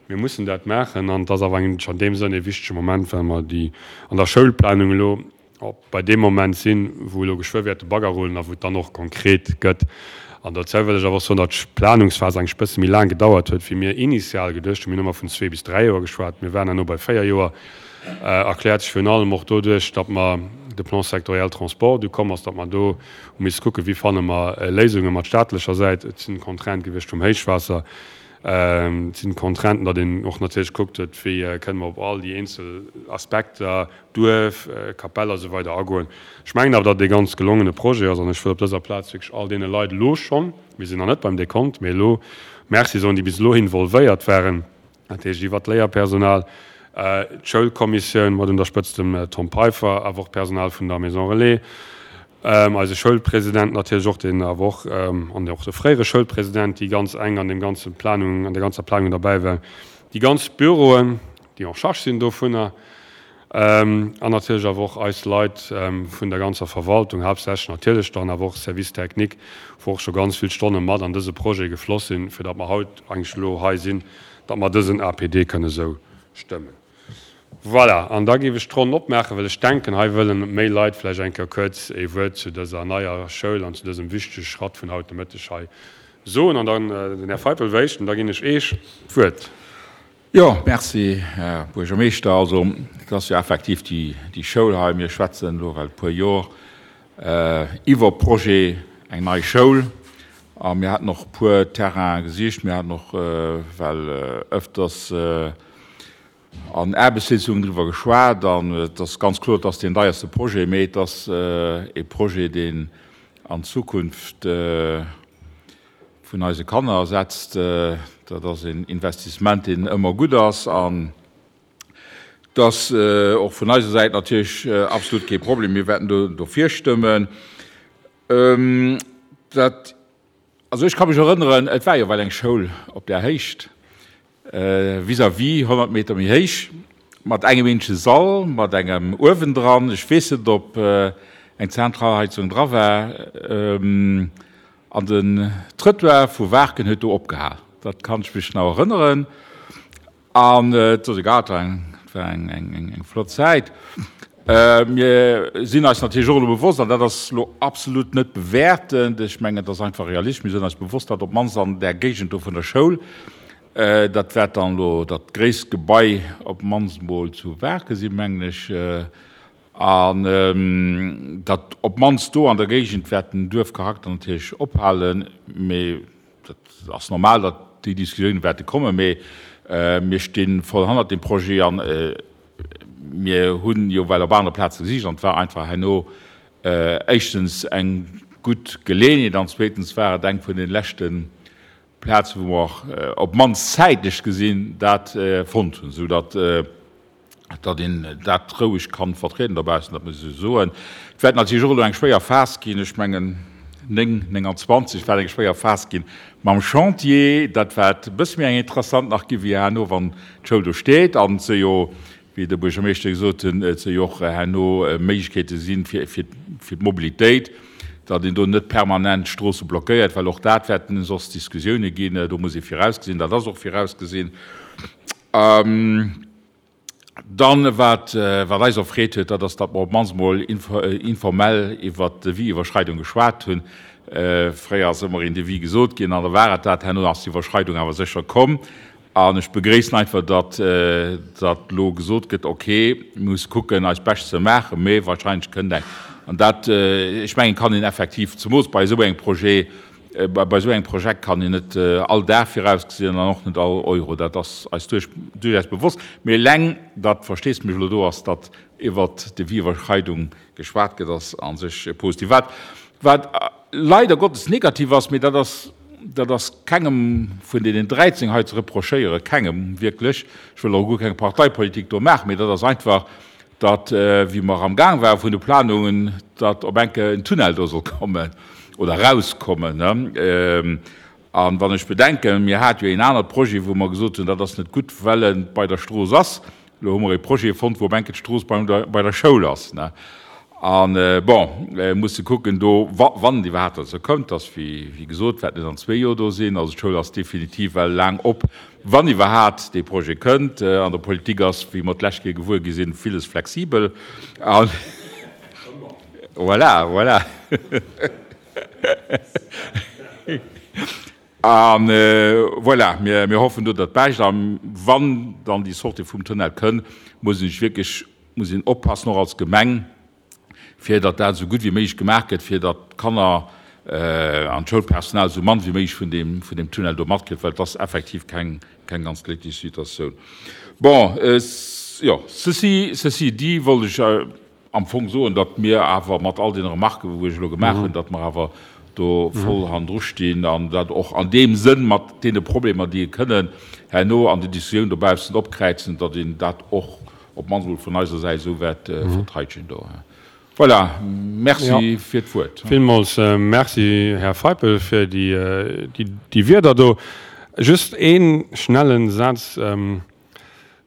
mir mussen dat maachen an et ass awer eigentlech an deem Sënn e wichtege Moment, well mer déi an der Schoulplanung elo op bei deem Moment sinn, wou elo geschwë wäert de Bagger rullen a wou et dann och konkret gëtt. An dozou wëll ech awer och soen, datt d'Planungsphas eigentlech e bësse méi laang gedauert huet, wéi mir initial geduecht hunn. Mir hunn ëmmer vun zwee bis dräi Joer geschwat, mir waren herno bei véier Joer. Erkläert sech virun allem och doduerch, datt mer de Plan sectoriel Transport du komm ass, datt mer do hu misse kucken, wéi fanne mer Léisunge mat staatlecher Säit. Et sinn Contraintë gewiescht vum Héichwaasser, et sinn Contrainten, datt een och natierlech gekuckt huet, wéi kënne mer op all déi eenzel Aspekter, Duerf, Kapell a sou weider agoen. Ech mengen awer, datt et ee ganz gelongene Projet ass an ech wëll op dëser Plaz wierklech all deene Leit elo schonn, mir sinn nach net beim Dekont, mee elo Merci soen, déi bis elo involvéiert waren, dat heescht iwwert d'Léierpersonal, d'Schoulkommissioun mat un der Spëtzt dem Tom Peiffer, awer och d'Personal vun der Maison Relais, eise Schoulpresident natierlech och, deen awer och, an och de fréiere Schoulpresident, déi ganz enk an deem ganze Planung, an der ganzer Planung derbäi waren, déi ganz Büroen, déi en charge sinn dovunner, an natierlech awer och eis Leit vun der ganzer Verwaltung, haaptsächlech natierlech dann awer och Service technique, wou och scho ganz vill Stonne mat an dëse Projet gefloss sinn, fir datt mer haut eigentlech elo hei sinn, datt mer dësen A P D kënne sou stëmmen. Voilà, an da géif ech d'Ronn opmaachen, well ech denken, hei wëllen méi Leit vläicht eng Kéier kuerz ee Wuert zu dëser neier Schoul an zu dësem wichtege Schratt vun haut de Mëtteg hei soen. An dann den Här Feipel wéischt, an da ginn ech Eech d'Wuert. Jo, merci, Här Buergermeeschter. Also, et ass jo effektiv déi, déi Schoul hei. Mir schwätzen elo well e puer Jor iwwer Projet eng nei Schoul. A mir haten och e puer Terraine gesicht. Mir haten och well ëfters an Aarbechtssitzungen driwwer geschwat. An et ass ganz kloer, et ass deen deierste Projet, mee et ass e Projet, deen an d'Zukunft vun eise Kanner setzt. Dat ass een Investissement, deen ëmmer gutt ass. An et ass och vun eiser Säit natierlech absolut kee Problem. Mir wäerten do dofir stëmmen. Dat, also ech ka mech erënneren, et war jo well eng Schoul op där Héicht, vis-à-vis, honnert Meter méi héich, mat engem eenzege Sall, mat engem Uewen dran. Ech weess net, ob eng Zentralheizung dra war. An den Trëttoir vu Waarken huet do opgehal. Dat kann ech mech nach erënneren. An et ass egal, et war eng, et war eng, eng, eng, eng flott Zäit. Mir sinn eis natierlech och elo bewosst, an dat ass elo absolut net bewäertend, ech mengen, et ass einfach realistesch, mir sinn eis bewosst, datt op d'mannst an där Géigend do vun der Schoul, dat wäert dann elo dat gréisst Gebai op d'mannst mol zu Waarken sinn, mengen ech, an datt op d'mannst do an der Géigend wäert den Duerfcharakter natierlech ophalen, mee dat ass normal, datt Déi Diskussioune wäerte kommen, mee mir sti voll hannert deem Projet an mir hunn jo well op anere Plaze gesicht an et war einfach herno éischtens eng gutt Geleeënheet an zweetens war et eng vun de leschte Plazen, wou mer op d'mannst zäitlech gesinn dat fonnt hunn, soudatt datt een dat roueg kann vertrieden dobaussen, dat muss ech esou soen. Et wäert natierlech och elo eng schwéier Phas ginn, ech mengen néng, nénganzwanzeg wäert eng schwéier Phas ginn mam Chantier. Dat wäert e bësse méi eng interessant nach gi wéi herno, wann d'Schoul do steet an se jo, wéi de Buergermeeschter gesot hunn, et se jo och herno Méiglechkeete sinn fir, fir, fir d'Mobilitéit, datt een do net permanent d'Stroosse blockéiert, well och dat wäerten soss Diskussioune ginn. Do muss ee virausgesinn, dat ass och virausgesinn. Dann, wat eis erfreet huet, dat ass, datt mer op d'mannst emol informell iwwert d'Devis-Iwwerschreidung geschwat hunn. Fréier ass ëmmer een Devis gesot ginn an da war et dat. Herno ass d'Iwwerschreidung awer sécher komm. An ech begréissen einfach, datt datt elo gesot gëtt, okay, mir musse kucken, eist Bescht ze maachen, mee wahrscheinlech kënnt eng. An dat, ech mengen, kann een effektiv, zemoos bei esou engem Projet, Bei esou engem Projekt kann een net all Dag virausgesinn an och net all Euro, dat ass eis duerchaus bewosst. Mee eleng, datt Versteesdemech elo do ass, datt iwwert Devis-Iwwerschreidung geschwat gëtt, ass a sech positiv. Wat, wat leider Gottes negativ ass, mee dat ass, dat ass kengem vun deenen dräizéng hei ze reprochéieren, kengem wierklech, ech wëll och guer keng Parteipolitik do maachen, mee dat ass einfach, datt, wéi mer amgaang ware vun de Planungen, datt op eng Kéier en Tunnel do soll kommen oder erauskommen. A wann ech bedenken, mir hate jo een anert Projet, wou mer gesot hunn, dat ass net gutt, well e bei der Strooss ass. Elo hu mer e Projet fonnt, wou op eng Kéier d'Strooss bei der Schoul ass. A bon, musse kucken do, wann et iwwerhaapt dozou kënnt, dass, wéi gesot, wäert net an zwee Joer do sinn. Also d'Schoul ass definitiv well laang op, wann iwwerhaapt dee Projet kënnt. An der Politik ass, wéi mer d'lescht Kéier gewuer gi sinn, villes flexibel. A voilà, voilà. A voilà, mir hoffen do dat Bescht. A wann dann déi Sortie vum Tunnel kënn, muss een sech wierklech, muss een oppassen, och als Gemeng, fir datt dat esou gutt wéi méiglech gemaach gëtt, fir datt d'Kanner an d'Schoulpersonal esou mann wéi méiglech vun deem, vun deem Tunnel do matkritt, well et ass effektiv keng, keng ganz glécklech Situatioun. Bon, jo, ceci, ceci dit wollt ech am Fong soen, datt mir awer mat all deene Remarquen, wou ech elo gemaach hunn, datt mer awer do voll hannendru stinn an dat och an deem Sënn mat deene Problemer, déi kënnen herno an den Diskussioun dobaussen opkräizen, datt een dat och op d'mannst emol vun eiser Säit esou wäert verteidegen do. Voilà, merci fir d'Wuert. Villmools merci, Här Feipel, fir déi Wierder do. Just ee schnelle Saz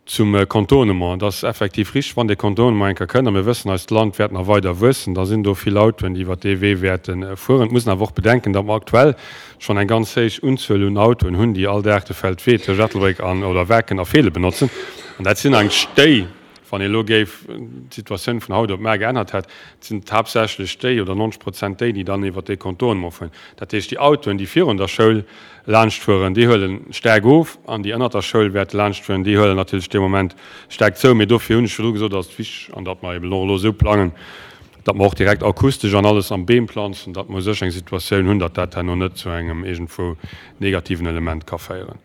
zum Contournement. Et ass effektiv richtig, wann dee Contournement eng Kéier kënnt, a mir wëssen, eist Land wäert nach weider wuessen, da sinn do vill Autoen, déi iwwert dee Wee wäerte fueren. Et muss een awer och bedenken, datt mer aktuell schonn eng ganz héich Unzuel un Autoen hunn, déi all Dag de Feldwee tëscht Ettelbréck an oder Waarken a Feelen benotzen. An dat sinn eigentlech déi, wann ee elo géif d'Situatioun vun haut op mar geännert hätt, et sinn haaptsächlech déi oder neunzeg Prozent déi, déi dann iwwert dee Contournement fueren. Dat heescht, déi Autoen, déi virun der Schoul laanschtfueren, déi huele staark of an déi ënnert der Schoul wäerte laanschtfueren, déi huelen natierlech dee Moment staark zou. Mee dofir hunn ech virdru gesot, ass et wichteg, an datt mer eben och elo esou plangen, datt mer och direkt akustesch an alles am Beem planzen, datt mer u sech eng Situatioun hunn, datt dat herno net zu engem iergendwou negativen Element ka féieren.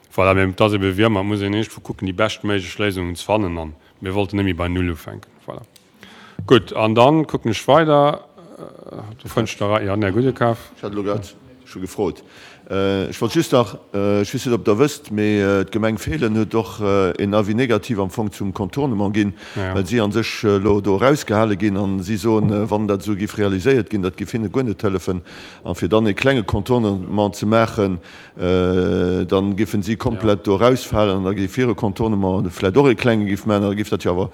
Voilà, mee et ass ebe wéi ëmmer, et muss een iergendwou kucken, déi beschtméiglech Léisungen ze fannen an mir wollten net méi bei Null ufänken. Voilà. Gutt, an dann kucken ech weider, do fënnt ech der, jo, den Här Gudekaf. Ech hat elo grad scho gefrot. Ech wollt just nach, ech weess net, ob Der wësst, mee d'Gemeng Feelen huet och een Avis négatif am Fong zum Contournement ginn, well si a sech elo do erausgehale ginn a si soen, wann dat esou géif realiséiert ginn, dat géif hinne guer net hëllefen. A fir dann ee klenge Contournement ze maachen, Dann géifen si komplett do erausfalen an da géif hire Contournement vläicht och ee klenge géif maachen an da géif dat jo awer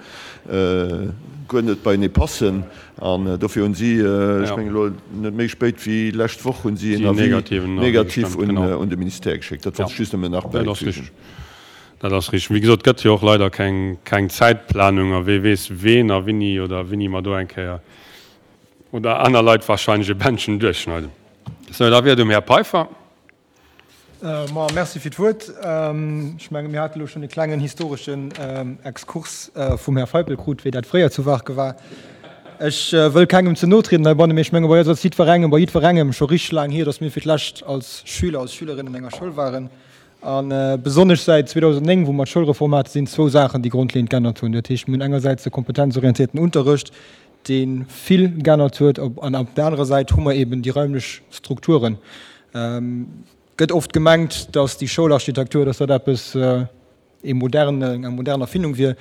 guer net beienee passen. An dofir hunn si, ech mengen elo net méi spéit wéi lescht Woch, hunn si een Avis négatif un de Ministère geschéckt. Dat wollt ech just nëmmen nach bäifügen. Dat ass richteg. Wéi gesot, et gëtt jo och leider keng Zäitplanung a wee weess ween a winni oder winni mer do eng Kéier oder aner Leit wahrscheinlech e Bändchen duerchschneiden. Sou, da wier et um Här Peiffer. Ma merci fir d'Wuert. Ech menge mir hate lo schonn e klengen historeschen Exkurs vum Här Feipel krut, wéi dat fréier zu Waarke war. Ech wëll kengem ze no trieden heibannen, mee ech menge bei eis ass jiddwerengem, bei jiddwerengem scho richteg laang hier, datt mir fir d'lescht als Schüler, als Schülerinnen an enger Schoul waren. A besonnesch säit zweedausendnéng, wou mer d'Schoulreform haten, sinn zwou Saachen, déi grondleeënd geännert hunn. Dat heescht, mir hunn engersäits de kompetenzorientierten Unterrecht, dee vill geännert huet, an op der anerer Säit hu mer eben déi raimlech Strukturen. Et gëtt oft gemengt, datt déi Schoularchitektur, datt dat eppes, ee moderne, eng modern Erfindung wier.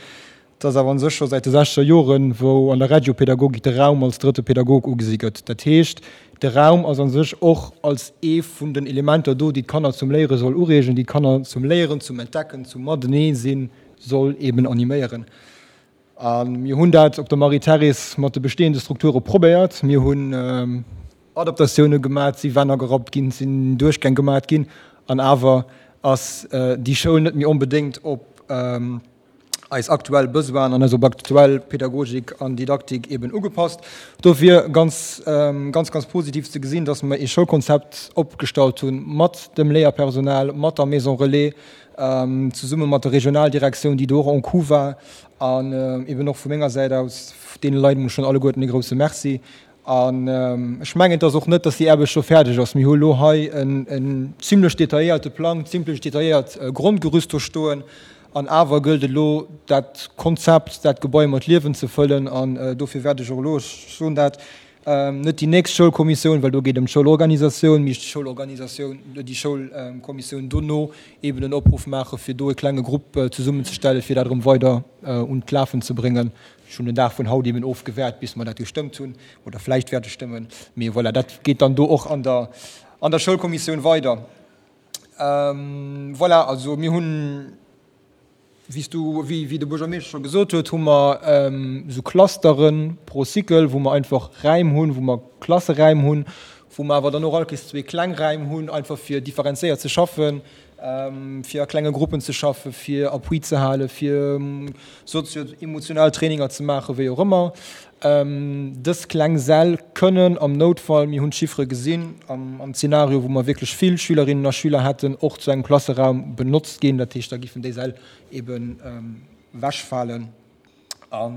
Et ass awer u sech scho säit de sechzeger Joren, wou an der Regiopädagogik de Raum als drëtte Pädagog ugesi gëtt. Dat heescht, de Raum ass a sech och als ee vun den Elementer do, déi d'Kanner zum Léiere soll ureegen, déi d'Kanner zum Léieren, zum Entdecken, zum Matenee-sinn soll eben animéieren. A mir hunn dat op der Marie-Thérèse mat de bestehende Strukture probéiert. Mir hunn Adaptatioune gemat, si Wänn agerappt ginn, sinn Duerchgäng gemat ginn, an awer ass déi Schoul net méi onbedéngt op eis aktuell Besoinen an eis op aktuell Pädagogik an Didaktik eben ugepasst. Dofir ganz, ganz, ganz positiv ze gesinn, dass mer ee Schoulkonzept opgestallt hu mat dem Léierpersonal, mat der Maison Relais, zesumme mat der Regionaldirektioun, déi do och en coup war, an eben och vu menger Säit aus deene Leit emol schonn alleguerten e grouse Merci. An ech mengen, et ass och net, dass déi Aarbecht scho fäerdeg ass. Mir hu elo hei en zimlech detailléierte Plang, zimlech detailléiert Grondgerüst do stoen. An awer gëllt et elo, dat Konzept, dat Gebai mat Liewen ze fëllen. An dofir wäert ech och elo, ech soen dat, net déi nächst Schoulkommissioun, well do geet et ëm d'Schoulorganisatioun, mee d'Schoulorganisatioun, déi Schoulkommissioun dono eeben en Opruff maachen, fir do e klenge Grupp zesummenzestellen, fir dat erëm weider un d'Lafen ze bréngen. Ech hunn den Dag vun haut eeben ofgewäert, bis mer dat gestëmmt hunn oder vläicht wäerte stëmmen. Mee voilà, dat geet dann do och an der, an der Schoulkommissioun weider. Voilà, also mir hunn, wéi s du, wéi, wéi de Buergermeeschter scho gesot huet, hu mer esou Clustere pro Cycle, wou mer einfach Räim hunn, wou mer Klasseräim hunn, wou mer awer dann och all Kéiers zwee kleng Räim hunn, einfach fir differenzéiert ze schaffen, fir a klenge Gruppen ze schaffen, fir Appui ze halen, fir sozio-emotional Traininger ze maachen, wéi och ëmmer. Dës kleng Säll kënnen am Noutfall, mir hunn d'Chiffere gesinn, am Zeenario, wou mer wierklech vill Schülerinnen a Schüler hätten, och zu engem Klasseraum benotzt ginn. Dat heescht, da giffen déi Säll eben ewechfalen. A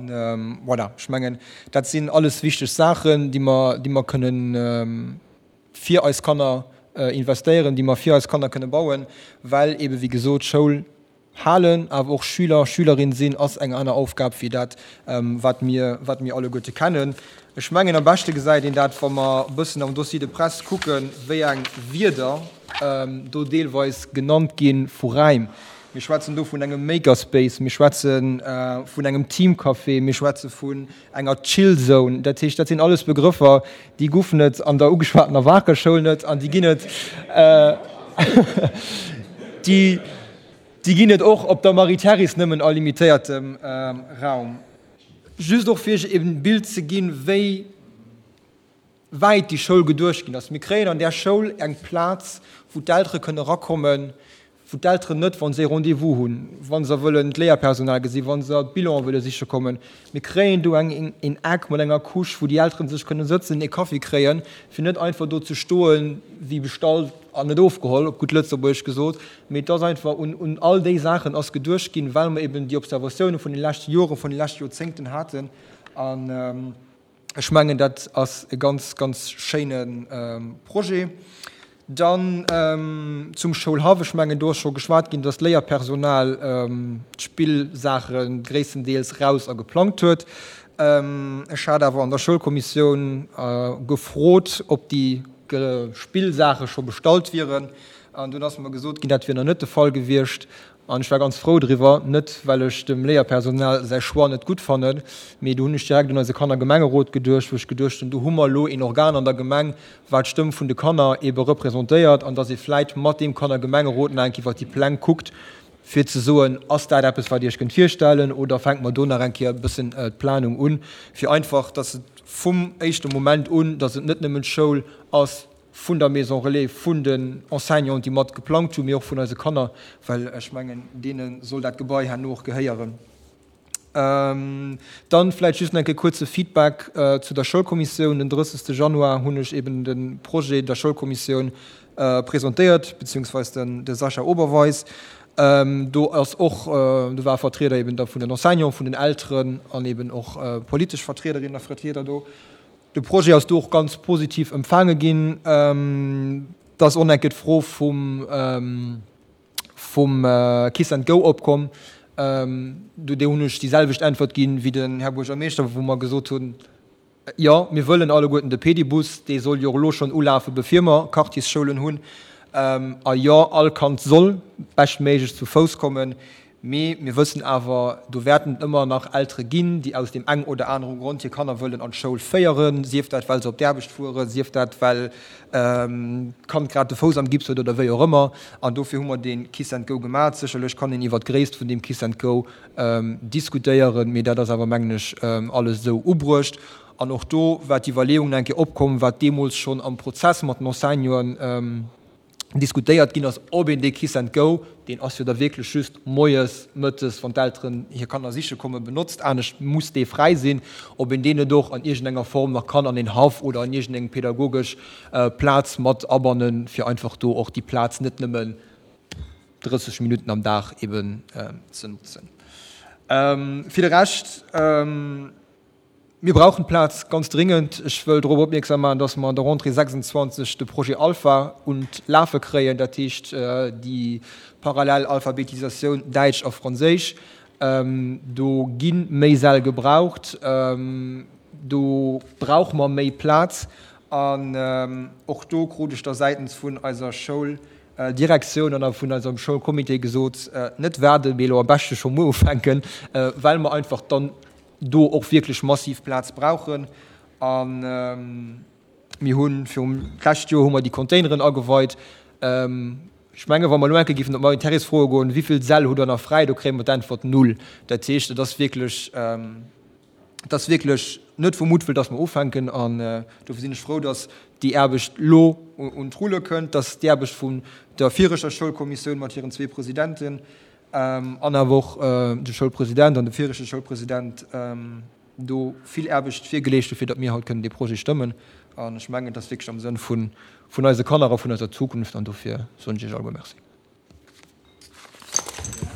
voilà, ech mengen, dat sinn alles wichteg Saachen, déi mer, déi mer kënnen fir eis Kanner investéieren, déi mer fir eis Kanner kënne bauen, well eebe wéi gesot Schoul halen, awer och Schüler, Schülerin sinn, ass eng aner Aufgab wéi dat, wat mir, wat mir alleguerte kennen. Ech mengen, am beschte gesäit een dat, wa mer e bëssen am Dossier de presse kucken, wéi eng Wierder do deelweis genannt gi vu Räim. Mir schwätzen do vun engem Makerspace, mir schwätze vun engem Teamcafé, mir schwätze vun enger Chillzone. Dat heescht, dat sinn alles Begrëffer, déi goufen et an der ugeschwatener Waarker Schoul net an déi ginn et, déi, déi ginn et och op der Marie-Therese nëmmen a limitéiertem Raum. Just och fir Iech e Bild ze ginn, wéi wäit déi Schoul geduecht ginn ass. Mir kréien an där Schoul eng Plaz, wou d'Eltere kënne erakommen, wou d'Elteren net, wa se e Rendez-vous hunn, wa se wëllen d'Léierpersonal gesinn, wa se d'Bilanen wëlle siche kommen, mir kréien do eng een Eck mat enger Couche, wou déi Elteren sech kënne sëtzen, e Kaffi kréien, fir net einfach do ze stoen, wéi bestallt an net ofgeholl, op gutt Lëtzebuergesch gesot. Mee et ass einfach, un un all déi Saachen ass geduecht ginn, well mer eben déi Observatioune vun de leschte Joren, vun de leschte Joerzéngten haten. An Ech mengen, dat ass e ganz, ganz schéine Projet. Dann zum Schoulhaff. Ech mengen, do ass scho geschwat ginn, dass d'Léierpersonal d'Spillsaache gréisstendeels raus a geplangt huet. Ech hat awer an der Schoulkommissioun gefrot, ob déi Spillsaache scho bestallt wieren. An dunn ass mer gesot ginn, dat wier nach net de Fall gewiescht. An ech war ganz frou driwwer, net well ech dem Léierpersonal säi Choix net gutt fannen, mee do hunn ech direkt un eise Kannergemengerot geduecht, wou ech geduecht hunn, do hu mer elo een Organ an der Gemeng, wat d'Stëmm vun de Kanner eebe representéiert, an dass ee vläit mat deem Kannergemengerot nach eng Kéier iwwert déi Pläng kuckt, fir ze soen, ass dat eppes, wat Dir Iech kënnt virstellen, oder fänke mer do nach eng Kéier e bëssen d'Planung un, fir einfach, dass et vum éischte Moment un, dass et net nëmmen d'Schoul ass, vun der Maison Relais, vun den Enseignanten, déi mat geplangt hunn, mee och vun eise Kanner, well ech mengen, deene soll dat Gebai herno och gehéieren. Dann vläicht just nach e kuerze Feedback zu der Schoulkommissioun. Den drëssegste Januar hunn ech eben de Projet der Schoulkommissioun presentéiert, beziehungsweise den de Sascha Oberweis. Do ass och, do ware Vertrieder eben da vun den Enseignanten, vun den Elteren an eben och politesch Vertriederinnen a Vertrieder do. De Projet ass do och ganz positiv empfaange ginn. Et ass och enke d'Fro vum, vum Kiss and Go opkomm. Do hunn ech déi selwecht Äntwert ginn wéi den Här Buergermeeschter, wou mer gesot hunn, Jo, mir wëllen alleguerten de Pedibus, dee soll jo och elo schonn ulafen, bevir mer Quartiersschoulen hunn. A jo, all Kand soll beschtméiglech zu Fouss kommen. Mee mir wëssen awer, do wäerten et ëmmer nach Eltere ginn, déi aus deem eng oder anere Grond hir Kanner wëllen an d'Schoul féieren, sief dat, well se op d'Aarbecht fueren, sief dat, well d'Kand grad de Fouss am Gips huet oder wéi och ëmmer. An dofir hu mer dee Kiss and Go gemaach. Sécherlech kann een iwwert d'Gréisst vun deem Kiss and Go diskutéieren, mee dat ass awer, mengen ech, alles esou ubruecht. An och do war d'Iwwerleeung nach eng Kéier opkomm, wat deemools schonn am Prozess mat den Enseignanten diskutéiert ginn ass, ob een dee Kiss and Go, deen ass jo da wierklech just moies, mëttes, wann d'Elteren hir Kanner siche kommen, benotzt, anescht muss dee fräi sinn, ob een deen net och an iergendenger Form nach kann an een Haff oder an iergendeng pedagogesch Plaz mat abannen, fir einfach do och déi Plaz net nëmmen drësseg Minutten am Dag eben ze notzen. Fir de Rescht. Mir brauchen d'Plaz ganz dringend. Ech wëll drop opmierksam maachen, dass mer an der Rentrée sechsundzwanzeg de Projet Alpha un d'Lafe kréien, dat heescht déi parallel Alphabetisatioun Däitsch a Franséisch. Do gi méi Säll gebraucht, do brauche mer méi Plaz. An och do krut ech da säitens vun eiser Schouldirektioun an a vun eisem Schoulcomité gesot, net waarden, mee elo am beschte scho muer ufänken, well mer einfach dann do och wierklech massiv Plaz brauchen. A mir hu virum d'lescht Joer hu mer déi Containeren ageweit. Ech menge wa mer elo eng Kéier géifen op d'Marie-Thérèse froe goen, wéi vill Säll hutt Der nach fräi, do kréie mer d'Äntwert null. Dat heescht, et ass wierklech, et ass wierklech net vu Muttwëll, datt mer ufänken. An dofir sinn ech frou, datt déi Aarbecht elo un d'Rulle kënnt, datt déi Aarbecht vun der viregter Schoulkommissioun mat hiren zwee Presidenten, an awer och de Schoulpresident an de viregte Schoulpresident do vill Aarbecht virgeleescht hu fir datt mir haut kënnen dee Projet stëmmen. An ech mengen, et ass wierklech am Sënn vun vun eise Kanner a vun eiser Zukunft an dofir soen ech Iech alleguer Merci.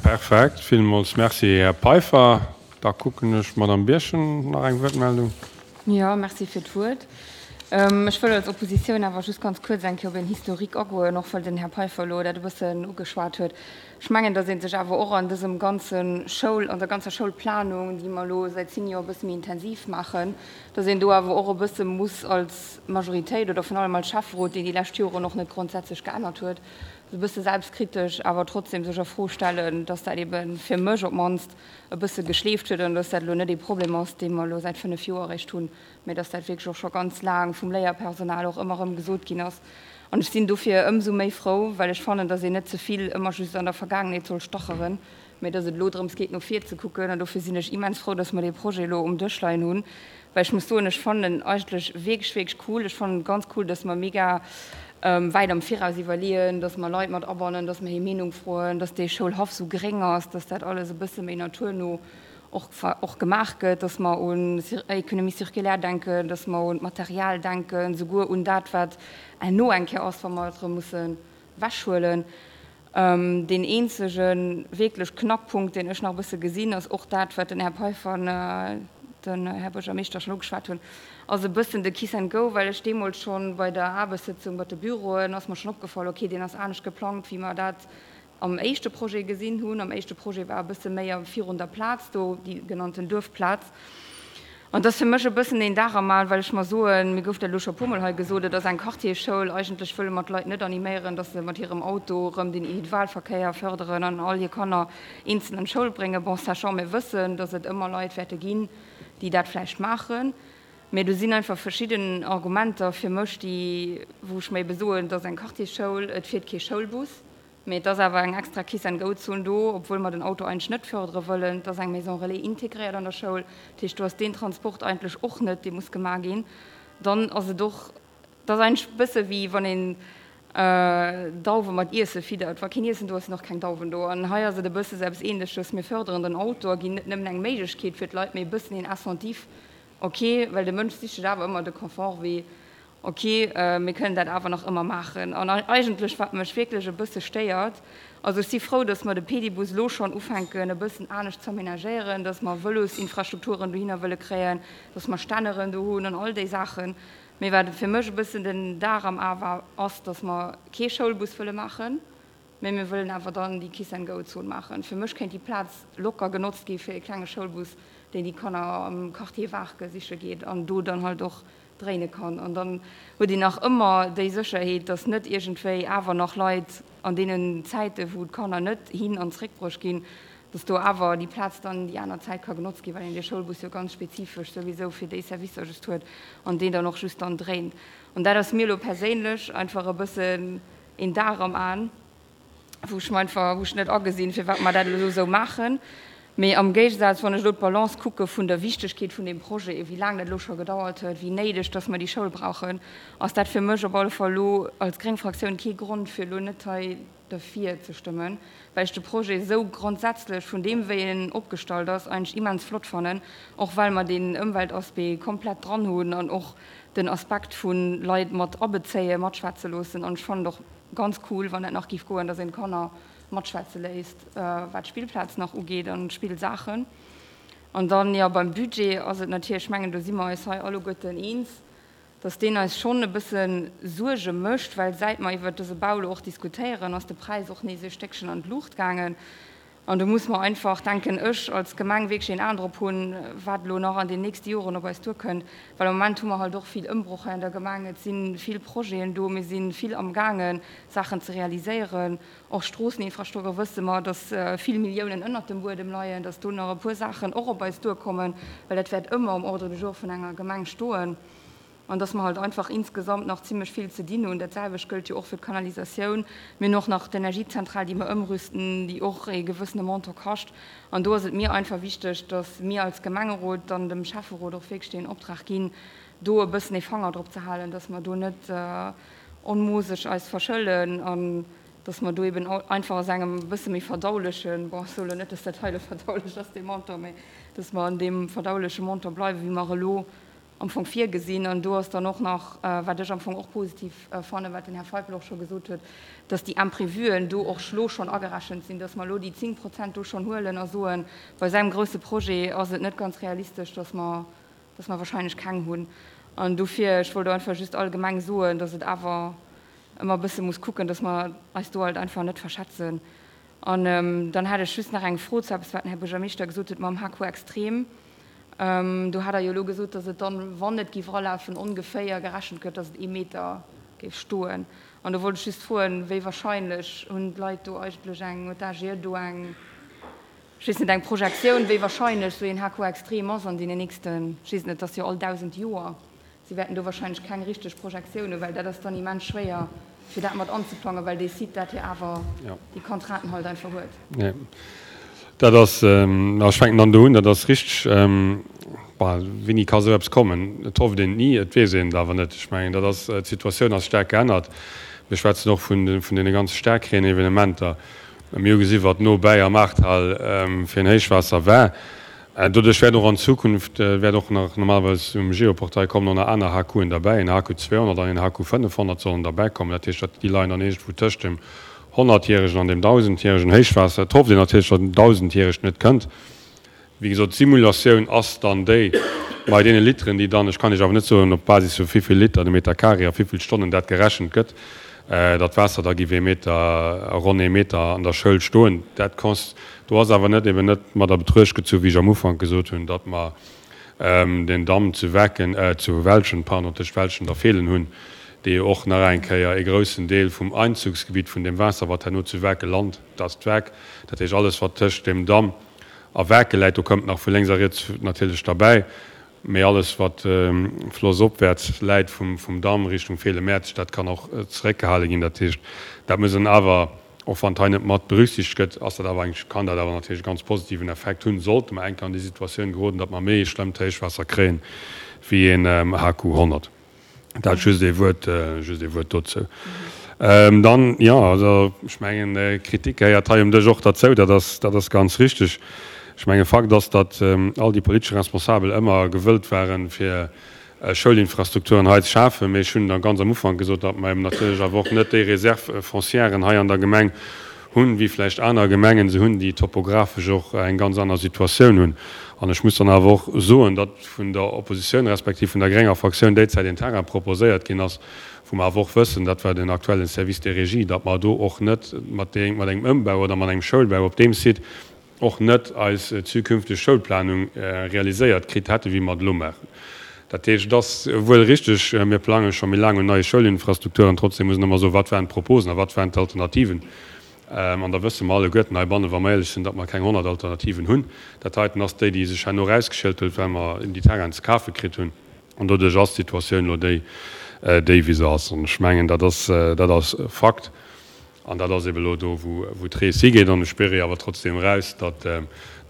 Perfekt, villmools Merci, Här Peiffer. Da kucken ech, Madamm Birchen, nach eng Wuertmeldung. Jo, merci fir d'Wuert. Ech wëll als Oppositioun awer just ganz kuerz eng Kéier op een Historique agoen, och well den Här Peiffer elo dat e bëssen ugeschwat huet. Ech mengen, datt ee sech awer och an dësem ganze Schoul, an der ganzer Schoulplanung, déi mer elo säit zéng Joer e bësse méi intensiv maachen, datt een do awer och e bësse muss als Majoritéit oder virun allem als Schäfferot, deen déi lescht Joren och net grondsätzlech geännert huet, e bësse selbstkritesch awer trotzdem sech a Fro stellen, datt dat ebe fir mech op d'mannst e bësse geschleeft huet an datt dat elo net ee Problem ass, dee mer elo säit fënnef Joer eréischt hunn, mä datt dat wierklech och scho ganz laang vum Léierpersonal och ëmmer erëm gesot ginn ass. An ech sinn dofir ëmsou méi frou, well ech fannen, datt een net ze vill ëmmer just an der Vergaangenheet soll stacheren, mä datt et elo drëms geet, no vir ze kucken. An dofir sinn ech immens frou, datt mer dee Projet elo um Dësch leien hunn, well ech muss soen, ech fannen en eigentlech wierklech, wierklech cool. Ech fannen et ganz cool, datt mer mega wäit am Viraus iwwerleeën, datt mer Leit mat abannen, datt mer hir Meenung froen, datt dee Schoulhaff sou gréng ass, datt dat alles e bësse méi naturno och, och gemaach gëtt, datt mer un Économie circulaire denken, datt mer un d'Material denken, souguer un dat, wat herno eng Kéier ass, wa mer et erëm musse wechhuelen. Deen eenzege wierklech Knackpunkt, deen ech nach e bësse gesinn, ass och dat, wat den Här Peiffer an den Här Buergermeeschter schonn ugeschwat hunn, ass e bëssen de Kiss and Go, well ech deemools schonn bei der Aarbechtssëtzung mat de Büroen ass mer schonn opgefall, okay, deen ass anescht geplangt, wéi mer dat am éischte Projet gesinn hunn. Am éischte Projet war e bësse méi virun der Plaz do, déi genannten Duerfplaz. An et ass fir mech e bëssen een Dar am Al, well ech mer soen, mir gouf dat elo scho e puermol hei gesot, et ass eng Quartiersschoul, eigentlech wëlle mer d'Leit net animéieren, datt se mat hirem Auto erëm den Individualverkéier fërderen an all hir Kanner eenzel an d'Schoul bréngen. Bon, sachant mir wëssen, datt et ëmmer Leit wäerte ginn, déi dat vläicht maachen. Mä do sinn einfach verschidden Argumenter fir mech, déi, wou ech mer ebe soen, et ass eng Quartiersschoul, et fiert kee Schoulbus. Mee et ass awer eng extra Kiss-and-Go-Zon do, obwuel mer den Auto eigentlech net fërdere wëllen. Et ass eng Maison relais integréiert an der Schoul. Dat heescht, do ass deen Transport eigentlech och net, dee muss gemaach ginn. Dann ass et och, et ass eigentlech e bësse wéi wann een Dauwe mat Iesse fiddert. Wa keen Iessen do ass, sinn och keng Dauwen do. An hei ass et e bësse sou eppes Ähnleches. Mir fërderen den Auto a ginn net nëmmen eng Méiglechkeet fir d'Leit, mee e bëssen een Incentif, ok, well de Mënsch sicht sech awer ëmmer de Confort wéi Ok, mir kënnen dat awer nach ëmmer maachen. An eigentlech, wat mech wierklech e bësse stéiert, also ech si frou, datt mer de Pedibus elo schonn ufänken e bëssen anescht z'aménagéieren, datt mer Vëlosinfrastrukturen dohinner wëlle kréien, datt mer Stänneren do hunn an all déi Saachen. Mee wat fir mech e bëssen den Dar am A war, ass, datt mer kee Schoulbus wëlle maachen. mä mir wëllen awer dann déi Kiss-and-go-Zon maachen. Fir mech kéint déi Plaz locker genotzt gi fir e klenge Schoulbus, deen déi Kanner am Quartier Waarke siche geet an do dann halt och dréine kann. An dann huet een nach ëmmer déi Sécherheet, dass net iergendwéi awer nach Leit an deenen Zäiten, wou d'Kanner net hin an zréckbruecht ginn, dass do awer déi Plaz dann déi aner Zäit ka genotzt ginn, well een dee Schoulbus jo ganz spezifesch souwisou fir déi Servicer just huet an deen dann och just dann dréint. An dat ass mir elo perséinlech einfach e bëssen een Dar am Aen, wou ech mer einfach, wou ech net agesinn, firwat mer dat elo esou maachen. Mee am Géigesaz, wann ech elo d'Balance kucke vun der Wichtegkeet vun deem Projet, wéi laang dat elo scho gedauert huet, wéi néideg dass mer déi Schoul brauchen, ass dat fir mech op alle Fall elo als gréng Fraktioun kee Grond, fir elo net hei derfir ze stëmmen, well ech de Projet esou grondsätzlech vun deem, wéi en opgestallt ass, eigentlech immens flott fannen, och well mer deen Ëmweltaspect komplett dran hunn an och den Aspekt vu Leit mat abezéien, matschwätze loossen. An ech fannen et och ganz cool, wann dat nach géif goen, dass een d'Kanner matschwätze léisst, wat d'Spillplaz nach ugeet an d'Spillsaachen. An dann, jo, beim Budget ass et natierlech, ech mengen, do si mer eis hei alleguerten eens, dass deen eis schonn e bësse Suerge mécht, well säit mer iwwert dëse Bau elo och diskutéieren, ass de Präis och nees e Stéckchen an d'Luucht gaangen. An do muss mer einfach, denken ech, als Gemeng wierklech een Aen drop hunn, wat elo nach an den nächste Joren op eis duerkënnt. Well am Moment hu mer halt och vill Ëmbroch hei an der Gemeng. Et si vill Projeten do. Mir si vill amgaangen, Saachen ze realiséieren. Och Stroosseninfrastruktur wësse mer, dass vill Milliounen ënnert dem Buedem leien, dass do nach e puer Saachen och op eis duerkommen, well dat wäert ëmmer um Ordre du jour vun enger Gemeng stoen. An dass mer halt einfach insgesamt nach zimlech vill ze dinn hunn. Dat selwecht gëllt jo och fir d'Kanalisatioun. Mir hunn och nach d'Energiezentral, déi mer ëmrüsten, déi och ee gewëssene Montant kascht. An do ass et mir einfach wichteg, dass mir als Gemengerot dann dem Schäfferot och wierklech deen Optrag ginn, do e bëssen ee Fanger drop ze halen, dass mer do net onmoosseg eis verschëllen an dass mer do eben einfach aus engem e bësse méi verdaulechen, bon, ech soe lo net, dass dat hei elo verdaulech ass, dee Montant, mä dass mer an deem verdauleche Montant bleiwen, wéi mer elo am Fong virgesinn. An do ass dann och nach, wat ech am Fong och positiv fannen, wat den Här Feipel och scho gesot huet, dass déi Imprévuen do och elo schonn agerechent sinn, dass mer elo déi zéng Prozent do schonn huelen a soen, bei esou engem grouse Projet ass et net ganz realistesch, dass mer, dass mer wahrscheinlech keng hunn. An dofir, ech wollt do einfach just allgemeng soen, dass et awer ëmmer e bësse muss kucken, dass mer eis do halt einfach net verschätzen. An dann hätt ech just nach eng Fro zu eppes, wat den Här Buergermeeschter gesot huet mam H Q Extrem. Do hat Der jo elo gesot, dass et dann, wann et géif eralafen, ongeféier gerechent gëtt, dass et ee Meter géif stoen. An do wollt ech just froen, wéi wahrscheinlech hunn d'Leit do eigentlech eng, huet d'A G E do eng, ech weess net, eng Projektioun, wéi wahrscheinlech esou een H Q Extrem ass an deenen nächsten, ech weess net, et ass jo all dausend Joer. Si wäerten do wahrscheinlech keng richteg Projektioun hunn, well dat ass dann immens schwéier, fir dat mat anzeplangen, well dee Site dat jo awer déi Contrainten halt einfach huet. Jo, dat ass, ech fänken dann do un, dat ass richteg. Bon, wéini ka sou eppes kommen? Et hofft een et ni, et weess een et awer net. Ech mengen, dat ass, d'Situatioun ass staark geännert. Mir schwätzen och vun vun deene ganze Staarkreenevenementer. Mir hu gesi wat nobäi am Ahrtal fir en Héichwaasser war. Doduerch wäert och an Zukunft, wäert och nach normalerweis um Geoportail kommen och nach aner H Qen derbäi, en H Q zweehonnert an en H Q fënnefhonnert sollen derbäi kommen. Dat heescht, dat déi leien dann iergendwou tëscht dem honnertjäregen an dem dausendjäregen Héichwaasser. Et hofft een natierlech, datt en dausendjäregt net kënnt. Wéi gesot, d'Simulatioun ass dann déi bei deene Literen, déi dann, ech kann Iech awer net soen, op Basis vu wéivill Liter de Meter carré a wéivill Stonnen dat gerechent gëtt, datt d'Waasser da giff ee Meter, ronn ee Meter an der Schoul stoen. Dat cons, do ass awer net eben net mat a Betruecht gezu, wéi ech am Ufank gesot hunn, datt mer den Damm zu Wecken, zu Welschent, pardon, tëscht Welschent a Feelen hunn, dee jo och nach eng Kéier ee groussen Deel vum Einzugsgebitt vun deem Waasser, wat herno zu Wecke lant, dat ass d'Weck, dat heescht alles wat tëscht deem Damm a Wecke läit, do këmmt nach vu lénks a riets natierlech derbäi, mee alles wat flossopwäerts läit vum vum Damm Richtung Feelen-Mäerzeg, dat kann och zeréckgehale ginn. Dat heescht, dat muss een awer, och wann et hei net mat berücksichtegt gëtt, ass dat awer eng, kann dat awer natierlech e ganz positiven Effekt hunn, sollte mer eng Kéier an déi Situatioun geroden, datt mer méi e schlëmmt Héichwaasser kréien wéi een H Q honnert. Dat just ee Wuert, just ee Wuert dozou. Dann, jo, also ech mengen, Kritik gehéiert hei um Dësch och derzou, dat ass, dat ass ganz richtig. Ech mengen, Fakt ass, datt all déi politesch Responsabel ëmmer gewëllt waren, fir Schoulinfrastrukturen hei ze schafen. Mee ech hunn da ganz am Ufank gesot, datt mer eben natierlech awer och net déi Réserve foncièren hei an der Gemeng hunn, wéi vläicht aner Gemengen se hunn, déi topographesch och eng ganz aner Situatioun hunn. An ech muss dann awer och soen, datt vun der Oppositioun respektiv vun der grénger Fraktioun déizäit een Terrain proposéiert ginn ass, wou mer awer och wëssen, dat war den aktuellen Service des régies, datt mer do och net mat engem Ëmbau oder mat engem Schoulbau op deem Site och net eis zukünfteg Schoulplanung realiséiert kritt hätten, wéi mer et elo maachen. Dat heescht, et ass wuel richteg, mir plange scho méi laang un neie Schoulinfrastrukturen. Trotzdem muss een ëmmer soen, Wat waren d'Proposen a wat waren d'Alternativen? An da wësse mer alleguerten heibannen, wa mer éierlech sinn, datt mer keng honnert Alternativen hunn. Dat heiten ass déi, déi sech herno erausgeschielt huet, well mer déi Terrainen ze kafe kritt hunn. An doduerch ass d'Situatioun elo déi, déi wéi se ass. An ech mengen, dat ass, dat ass Fakt. An dat ass eben elo do, wou d'Rees higeet. An ech spiere jo awer trotzdem eraus, datt,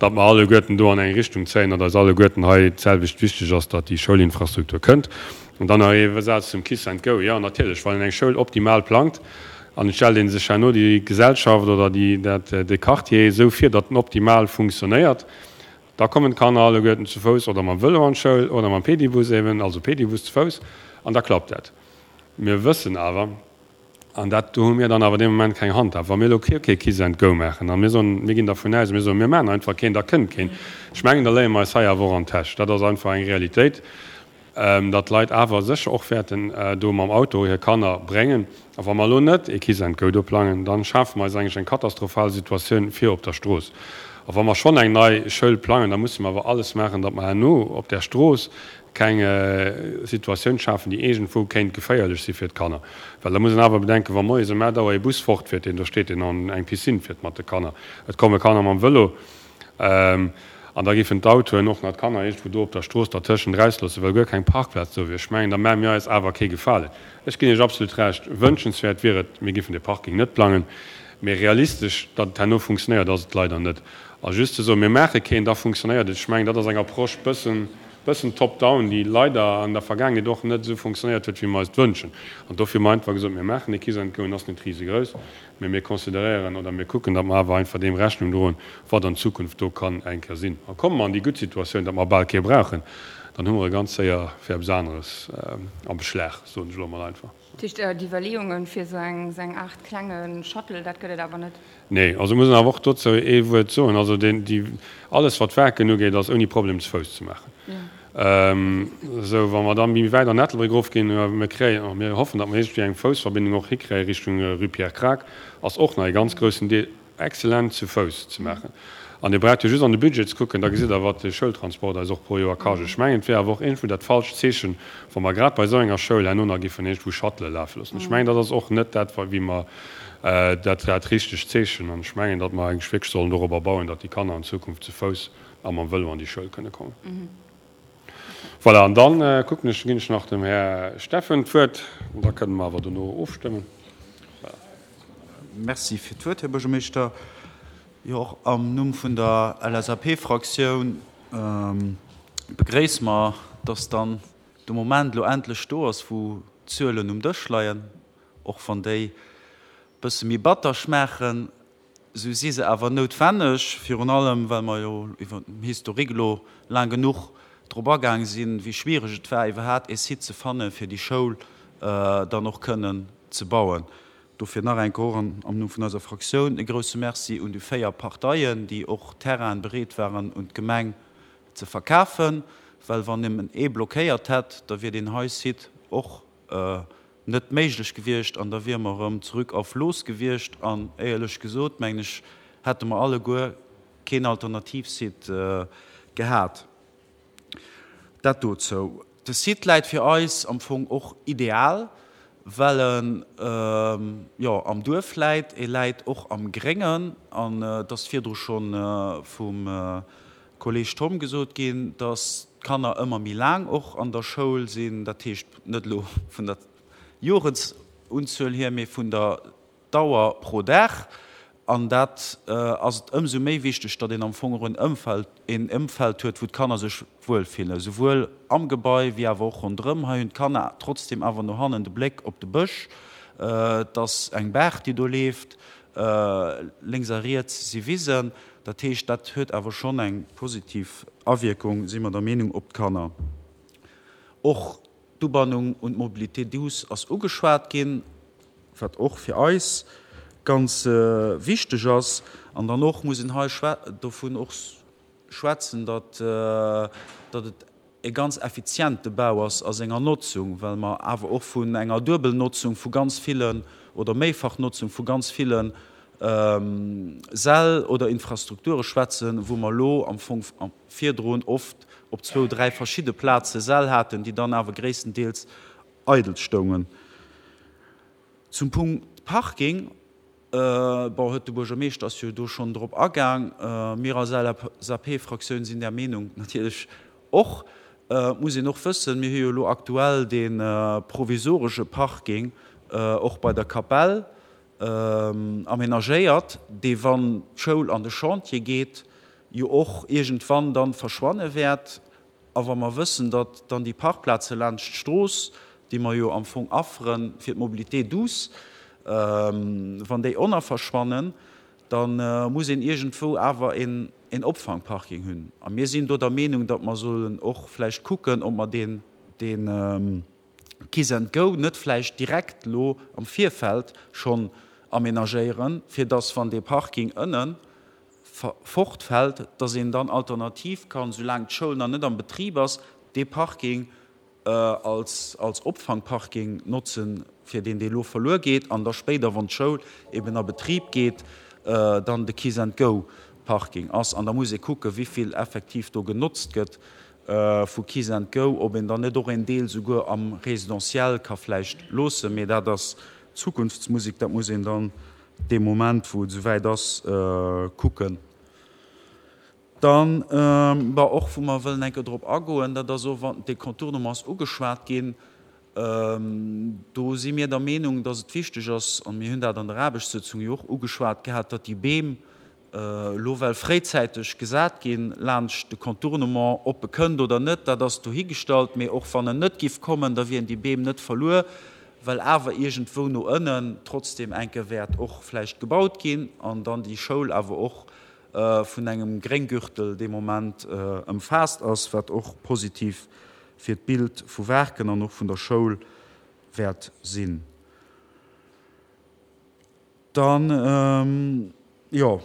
datt mer alleguerten do an eng Richtung zéien, datt eis alleguerten hei d'selwecht wichteg ass, datt déi Schoulinfrastruktur kënnt. An dann nach ee Saz zum Kiss and Go. Jo, natierlech, wann een eng Schoul optimal plangt, An et stellt ee sech herno déi Gesellschaft oder déi, dat, de Quartier esou vir, datt en optimal funktionéiert. Da kommen d'Kanner alleguerten zu Fouss oder mam Vëlo an d'Schoul oder mam Pedibus eben, also Pedibus zu Fouss, an da klappt dat. Mir wëssen awer, an dat, do hu mir dann awer dee Moment keng Handhab, wa mir elo kee kee Kiss and Go maachen a mir soen, mir ginn dervun aus, mir soen, mir maachen einfach keen, da kënnt keen. Ech mengen, da léie mer eis hei awer och an d'Täsch. Dat ass einfach eng Realitéit. datt d'Leit awer sécher och wäerten do mam Auto hir Kanner bréngen. A wa mer elo net ee Kiss and Go do plangen, da schafe mer eis eigentlech eng katastrophal Situatioun fir op der Strooss. A wa mer schonn eng nei Schoul plangen, da musse mer awer alles maachen, datt mer herno op där Strooss keng Situatioun schafen, déi iergendwou kéint geféierlech si fir d'Kanner. Well da muss een awer bedenken, wa moies ëm aacht Auer ee Bus fortfiert, deen do steet, deen an eng Piscine fiert mat de Kanner, et komme Kanner mam Vëlo, An da géifen d'Autoen och nach d'Kanner iergendwou do op der Strooss dertëschent erausloossen, well guer keng Parkplaz do wier. Ech mengen, da maache mir eis awer kee Gefalen. Ech ginn Iech absolut Recht, wënschenswäert wier et, mir géifen dee Parking net plangen, mee realistesch, datt et herno funktionéiert, ass et leider net. A just ze soen, mir maache keen, da funktionéiert et, ech mengen, dat ass eng Approche bëssen, bëssen top-down, déi leider an der Vergaangenheet och net esou funktionéiert huet, wéi mer eis et wënschen. An dofir hu mer einfach gesot, mir maachen ee Kiss-and-Go, en ass net risegrouss, Mee mir consideréieren oder mir kucken, datt mer awer einfach deem Rechnung droen, wat an Zukunft do kann eng Kéier sinn. A komme mer an déi gutt Situatioun, datt mer bal kee brauchen, dann hu mer e ganz séier fir eppes aneres am Beschlag, soen ech elo emol einfach. Dat heescht, d'Iwwerleeungen fir esou eng, esou eng Aart klenge Shuttle, dat gëtt et awer net? Nee, also muss een awer och dozou ee Wuert soen. Also deen, déi, alles wat d'Waarken ugeet, ass ouni Problem ze Fouss ze maachen. Esou, wa mer da méi wäit an Ettelbréck erofginn, mir kréien, mir hoffen, datt mer iergendwéi eng Foussverbindung och hikréie Richtung Rue Pierre Krack, ass och nach ee ganz groussen Deel excellent zu Fouss ze maachen. An Dir braucht jo just an de Budget ze kucken, da gesitt Der, wat de Schoultransport eis och pro Joer kascht. Ech mengen, et wier awer och iergendwou dat falscht Zeechen, wa mer grad bei esou enger Schoul herno nach giffen iergendwou Shuttele lafe loossen. Ech mengen, dat ass och net dat, wéi mer dat, dat richtegt Zeechen. An ech mengen, datt mer eigentlech wierklech sollen dorobber bauen, datt déi Kanner an Zukunft zu Fouss a mam Vëlo an déi Schoul kënne kommen. Voilà, an dann kucken ech, ginn ech nach dem Här Steffen d'Wuert, an da kënne mer awer dono ofstëmmen. Voilà. Merci fir d'Wuert, Här Buergermeeschter. Jo, och am Numm vun der LSAP-Fraktioun begréisse mer, dass dann de Moment elo endlech do ass, wou d'Zuelen um Dësch leien, och wann déi e bësse méi batter schmaachen. Esou si se awer noutwenneg, virun allem well mer jo iwwer den Historique elo laang genuch drop agaang sinn, wéi schwiereg et war, iwwerhaapt ee Site ze fannen, fir déi Schoul dann och kënnen ze bauen. Dofir nach eng Kéier och am Numm vun eiser Fraktioun e grouse Merci un déi véier Parteien, déi och Terrainen bereet waren un d'Gemeng ze verkafen, well wann nëmmen ee blockéiert hätt, da wier deen hei Site och net méiglech gewiescht an da wiere mer erëm zurück auf los gewiescht an éierlech gesot, mengen ech, hätte mer alleguer keen Alternativsite gehat. Dat dozou. De Site läit fir eis am Fong och ideal, well en, jo, am Duerf läit, e läit och am Gréngen an et ass virdru scho vum Kolleg Tom gesot ginn, dass d'Kanner ëmmer méi laang och an der Schoul sinn, dat heescht net elo vun der Joresunzuel hier, mee vun der Dauer pro Dag. An dat ass et ëmsou méi wichteg, datt een am Fong och en Ëmfeld, een Ëmfeld huet, wou d'Kanner sech wuelfillen, souwuel am Gebai wéi awer och ronderëm. Hei hunn d'Kanner trotzdem awer no hannen de Bléck op de Bësch. Et ass eng Baach, déi do leeft. Lénks a riets si Wisen. Dat heescht, dat huet awer schonn eng positiv Awierkung, si mer der Meenung, op d'Kanner. Och d'Ubannung un d'Mobilité douce ass ugeschwat ginn, wat och fir eis ganz wichteg ass. An dann och muss een hei dovun och schwätzen, datt, datt et e ganz effiziente Bau ass a senger Notzung, well mer awer och vun enger Duebelnotzung vu ganz villen oder Méifachnotzung vu ganz ville Säll oder Infrastrukture schwätzen, wou mer elo am Fong virdrun oft op zwou, dräi verschidde Plaze Säll haten, déi dann awer gréisstendeels eidel stoungen. Zum Punkt Parking, bon, huet de Buergermeeschter ass jo do schonn drop agaang. Mir als LSAP-Fraktioun sinn där Meenung natierlech och. Et muss een och wëssen, mir hu jo elo aktuell dee provisoresche Parking och bei der Kapell amenagéiert, dee wann d'Schoul an de Chantier geet, jo och iergendwann dann verschwanne wäert. A wa mer wëssen, datt dann déi Parkplaze laanscht d'Strooss, déi mer jo am Fong affere fir d'Mobilité douce, wann déi och nach verschwannen, da muss een iergendwou awer een Opfangparking hunn. A mir sinn do der Meenung, datt mer sollen och vläicht kucken, ob mer deen, dee Kiss and Go net vläicht direkt elo am Virfeld schonn amenagéieren, fir datt, wann dee Parking ënnen fortfält, dass een dann alternativ kann, soulaang d'Schoul nach net am Betrib ass, dee Parking als als Opfangparking notzen, fir deen, dee elo verluer geet, an da spéider, wann d'Schoul eben a Betrib geet, dann de Kiss-and-Go-Parking ass. An da muss ee kucken, wivill effektiv do genotzt gëtt vu Kiss-and-Go, ob een dann net och een Deel souguer am Résidentiel ka vläicht loossen. Mee dat ass Zukunftsmusik, dat muss een dann dee Moment, wou et esouwäit ass, kucken. Dann, bon, och wou mer wëllen eng Kéier drop agoen, dat ass och, wann dee Contournement ass ugeschwat ginn, do si mir der Meenung, dass et wichteg ass, a mir hunn dat an der Aarbechtssëtzung jo och ugeschwat gehat, datt déi Beem elo well fréizäiteg gesat ginn laanscht de Contournement, ob e kënnt oder net, dat ass dohigestallt, mee och wann en net giff kommen, da wieren déi Beem net verluer, well awer iergendwou no ënnen trotzdem enke wäert och vläicht gebaut ginn an dann déi Schoul awer och vun engem Grénggürtel dee Moment ëmfaasst ass, wat och positiv fir d'Bild vu Waarken an och vun der Schoul wäert sinn. Dann, jo,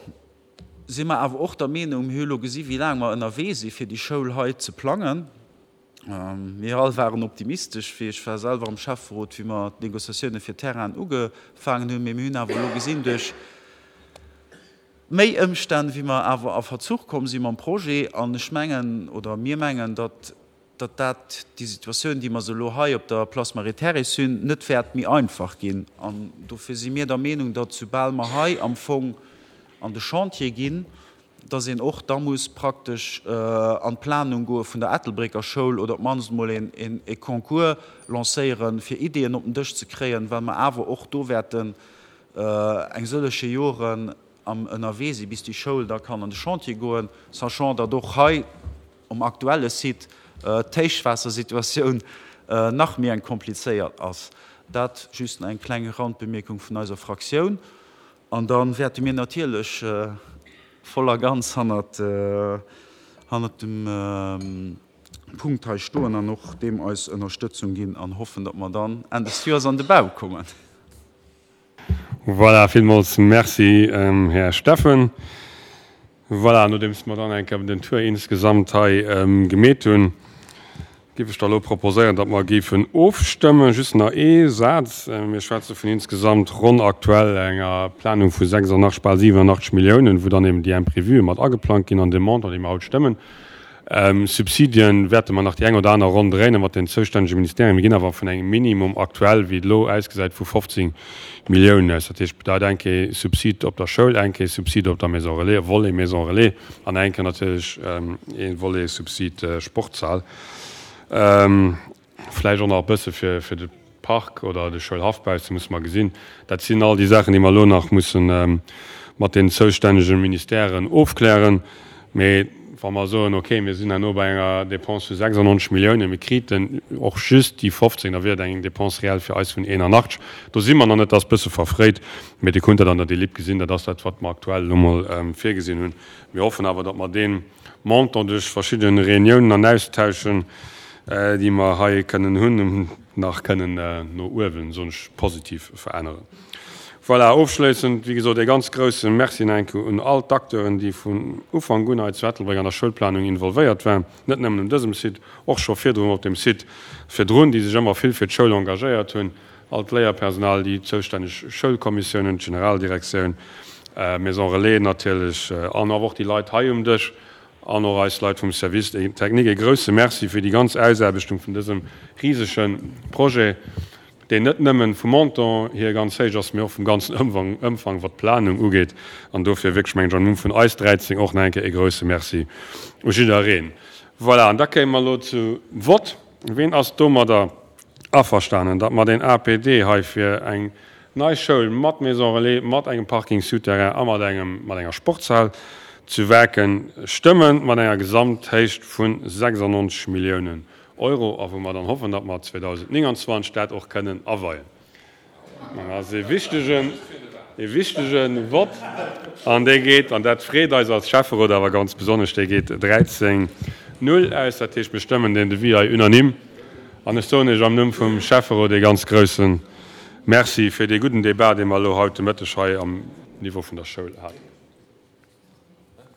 si mer awer och der Meenung, mir hu elo gesi wéi laang mer ënnerwee si fir déi Schoul hei ze plangen. Mir all waren optimistesch, wéi ech war selwer am Schäfferot, wéi mer d'Négociatioune fir d'Terrainen ugefaangen hunn, mee mir hunn awer elo gesinn duerch méi Ëmstänn, wéi mer awer a Verzuch komm si mam Projet. An ech mengen, oder mir mengen, datt datt dat déi Situatioun, déi mer se elo hei op der Place Marie-Thérèse hunn, net wäert méi einfach ginn. An dofir si mir der Meenung, datt soubal mer hei am Fong an de Chantier ginn, datt een och da muss praktesch an d'Planung goe vun der Ettelbrécker Schoul oder op d'mannst emol e Concours lancéieren, fir Ideeën op den Dësch ze kréien, well mer awer och do wäerten eng sëllege Joren am ënnerwee si bis déi Schoul da kann an de Chantier goen, sachant datt och hei um aktuelle Site d'Héichwaassersituatioun nach méi eng komplizéiert ass. Dat just eng kleng Randbemierkung vun eiser Fraktioun. An da wäerte mir natierlech voll a ganz hannert dem Punkt hei stoen an och deem eis Ënnerstëtzung ginn an hoffen, datt mer dann Enn des Joers an de Bau kommen. Voilà, villmools Merci, Här Steffen. Voilà, nodeems mer dann eng Kéier den Tour insgesamt hei gemeet hunn, géif ech da elo proposéieren, datt mer géifen ofstëmmen. Just nach ee Saz, Mir schwätze vun insgesamt ronn aktuell enger Planung vu sechsundachtzeg, bal siewenundachtzeg Milliounen, wou dann eben déi Imprévue mat ageplangt ginn an deem Montant, dee mer haut stëmmen. Subsidien wäerte mer nach déi eng oder aner Ronn dréinen mat den zoustännege Ministerien. Mir ginn awer vun engem Minimum aktuell, wéi et elo ausgesäit, vu fofzéng Milliounen aus. Dat heescht, bedeit eng Kéier Subsid op der Schoul, eng Kéier Subsid op der Maison relais, Volet Maison relais an eng Kéier natierlech ee Volet Subsid Sportshal. Vläicht och nach e bësse fir fir de Park oder de Schoulhaff bausse, musse mer gesinn. Dat sinn all déi Saachen, déi mer elo nach musse mat den zoustännege Ministèren ofklären. Mee wa mer soen, okay, mir sinn herno bei enger Dépense vu sechsundneunzeg Milliounen, mir kriten och just déi fofzéng, da wier et eng Dépense réelle fir eis vun eenanachtzeg. Do si mer nach net, dat ass e bësse verfréit, mee Dir kunnt dat an der Delib gesinn, dat ass dat, wat mer aktuell elo mol virgesinn hunn. Mir hoffen awer, datt mer dee Montant duerch verschidde Reuniounen an Austauschen, déi mer hei kënnen hunn, nach kënnen no uewen, soen ech, positiv veränneren. Voilà, ofschléissend, wéi gesot, ee ganz grousse Merci nach eng Kéier un all d'Acteuren, déi vun Ufank un hei zu Ettelbréck an der Schoulplanung involvéiert waren, net nëmmen un dësem Site, och scho virdrun op dem Site virdrun, déi sech ëmmer vill fir d'Schoul engagéiert hunn, all d'Léierpersonal, déi zoustänneg Schoulkommissiounen, d'Generaldirektioun, Maison Relais natierlech an awer och déi Leit hei um Dësch an och eis Leit vum Service technique. Ee grousse Merci fir déi ganz Ausaarbechtung vun dësem risege Projet, deen net nëmmen vum Montant hier ganz héich ass, mee och vum ganzen Ëmfang, Ëmfang wat d'Planung ugeet. An dofir wierklech, mengen ech, am Numm vun eis dräizéng och nach eng Kéier ee grouse Merci u jiddereen. Voilà, an da kéime mer elo zu Vott. Ween ass domadder averstanen, datt mer deen A P D hei fir eng nei Schoul mat Maison relais, mat engem Parking souterrain a mat engem, mat enger Sportshal zu Waarken stëmmen, mat enger Gesamthéicht vu sechsundneunzeg Milliounen Euro, a wou mer dann hoffen, datt mer zweedausendneunundzwanzeg dat och kënnen aweien? Dat ass e wichtegen, e wichtege Vott, an dee geet, an dat freet eis als Schäfferot awer ganz besonnesch, dee geet dräizéng null aus. Dat heescht, mir stëmmen deen Devis hei unanime. An ech soen Iech am Numm vum Schäfferot ee ganz grousse Merci fir dee gudden Débat, dee mer elo haut de Mëtteg hei am Niveau vun der Schoul haten.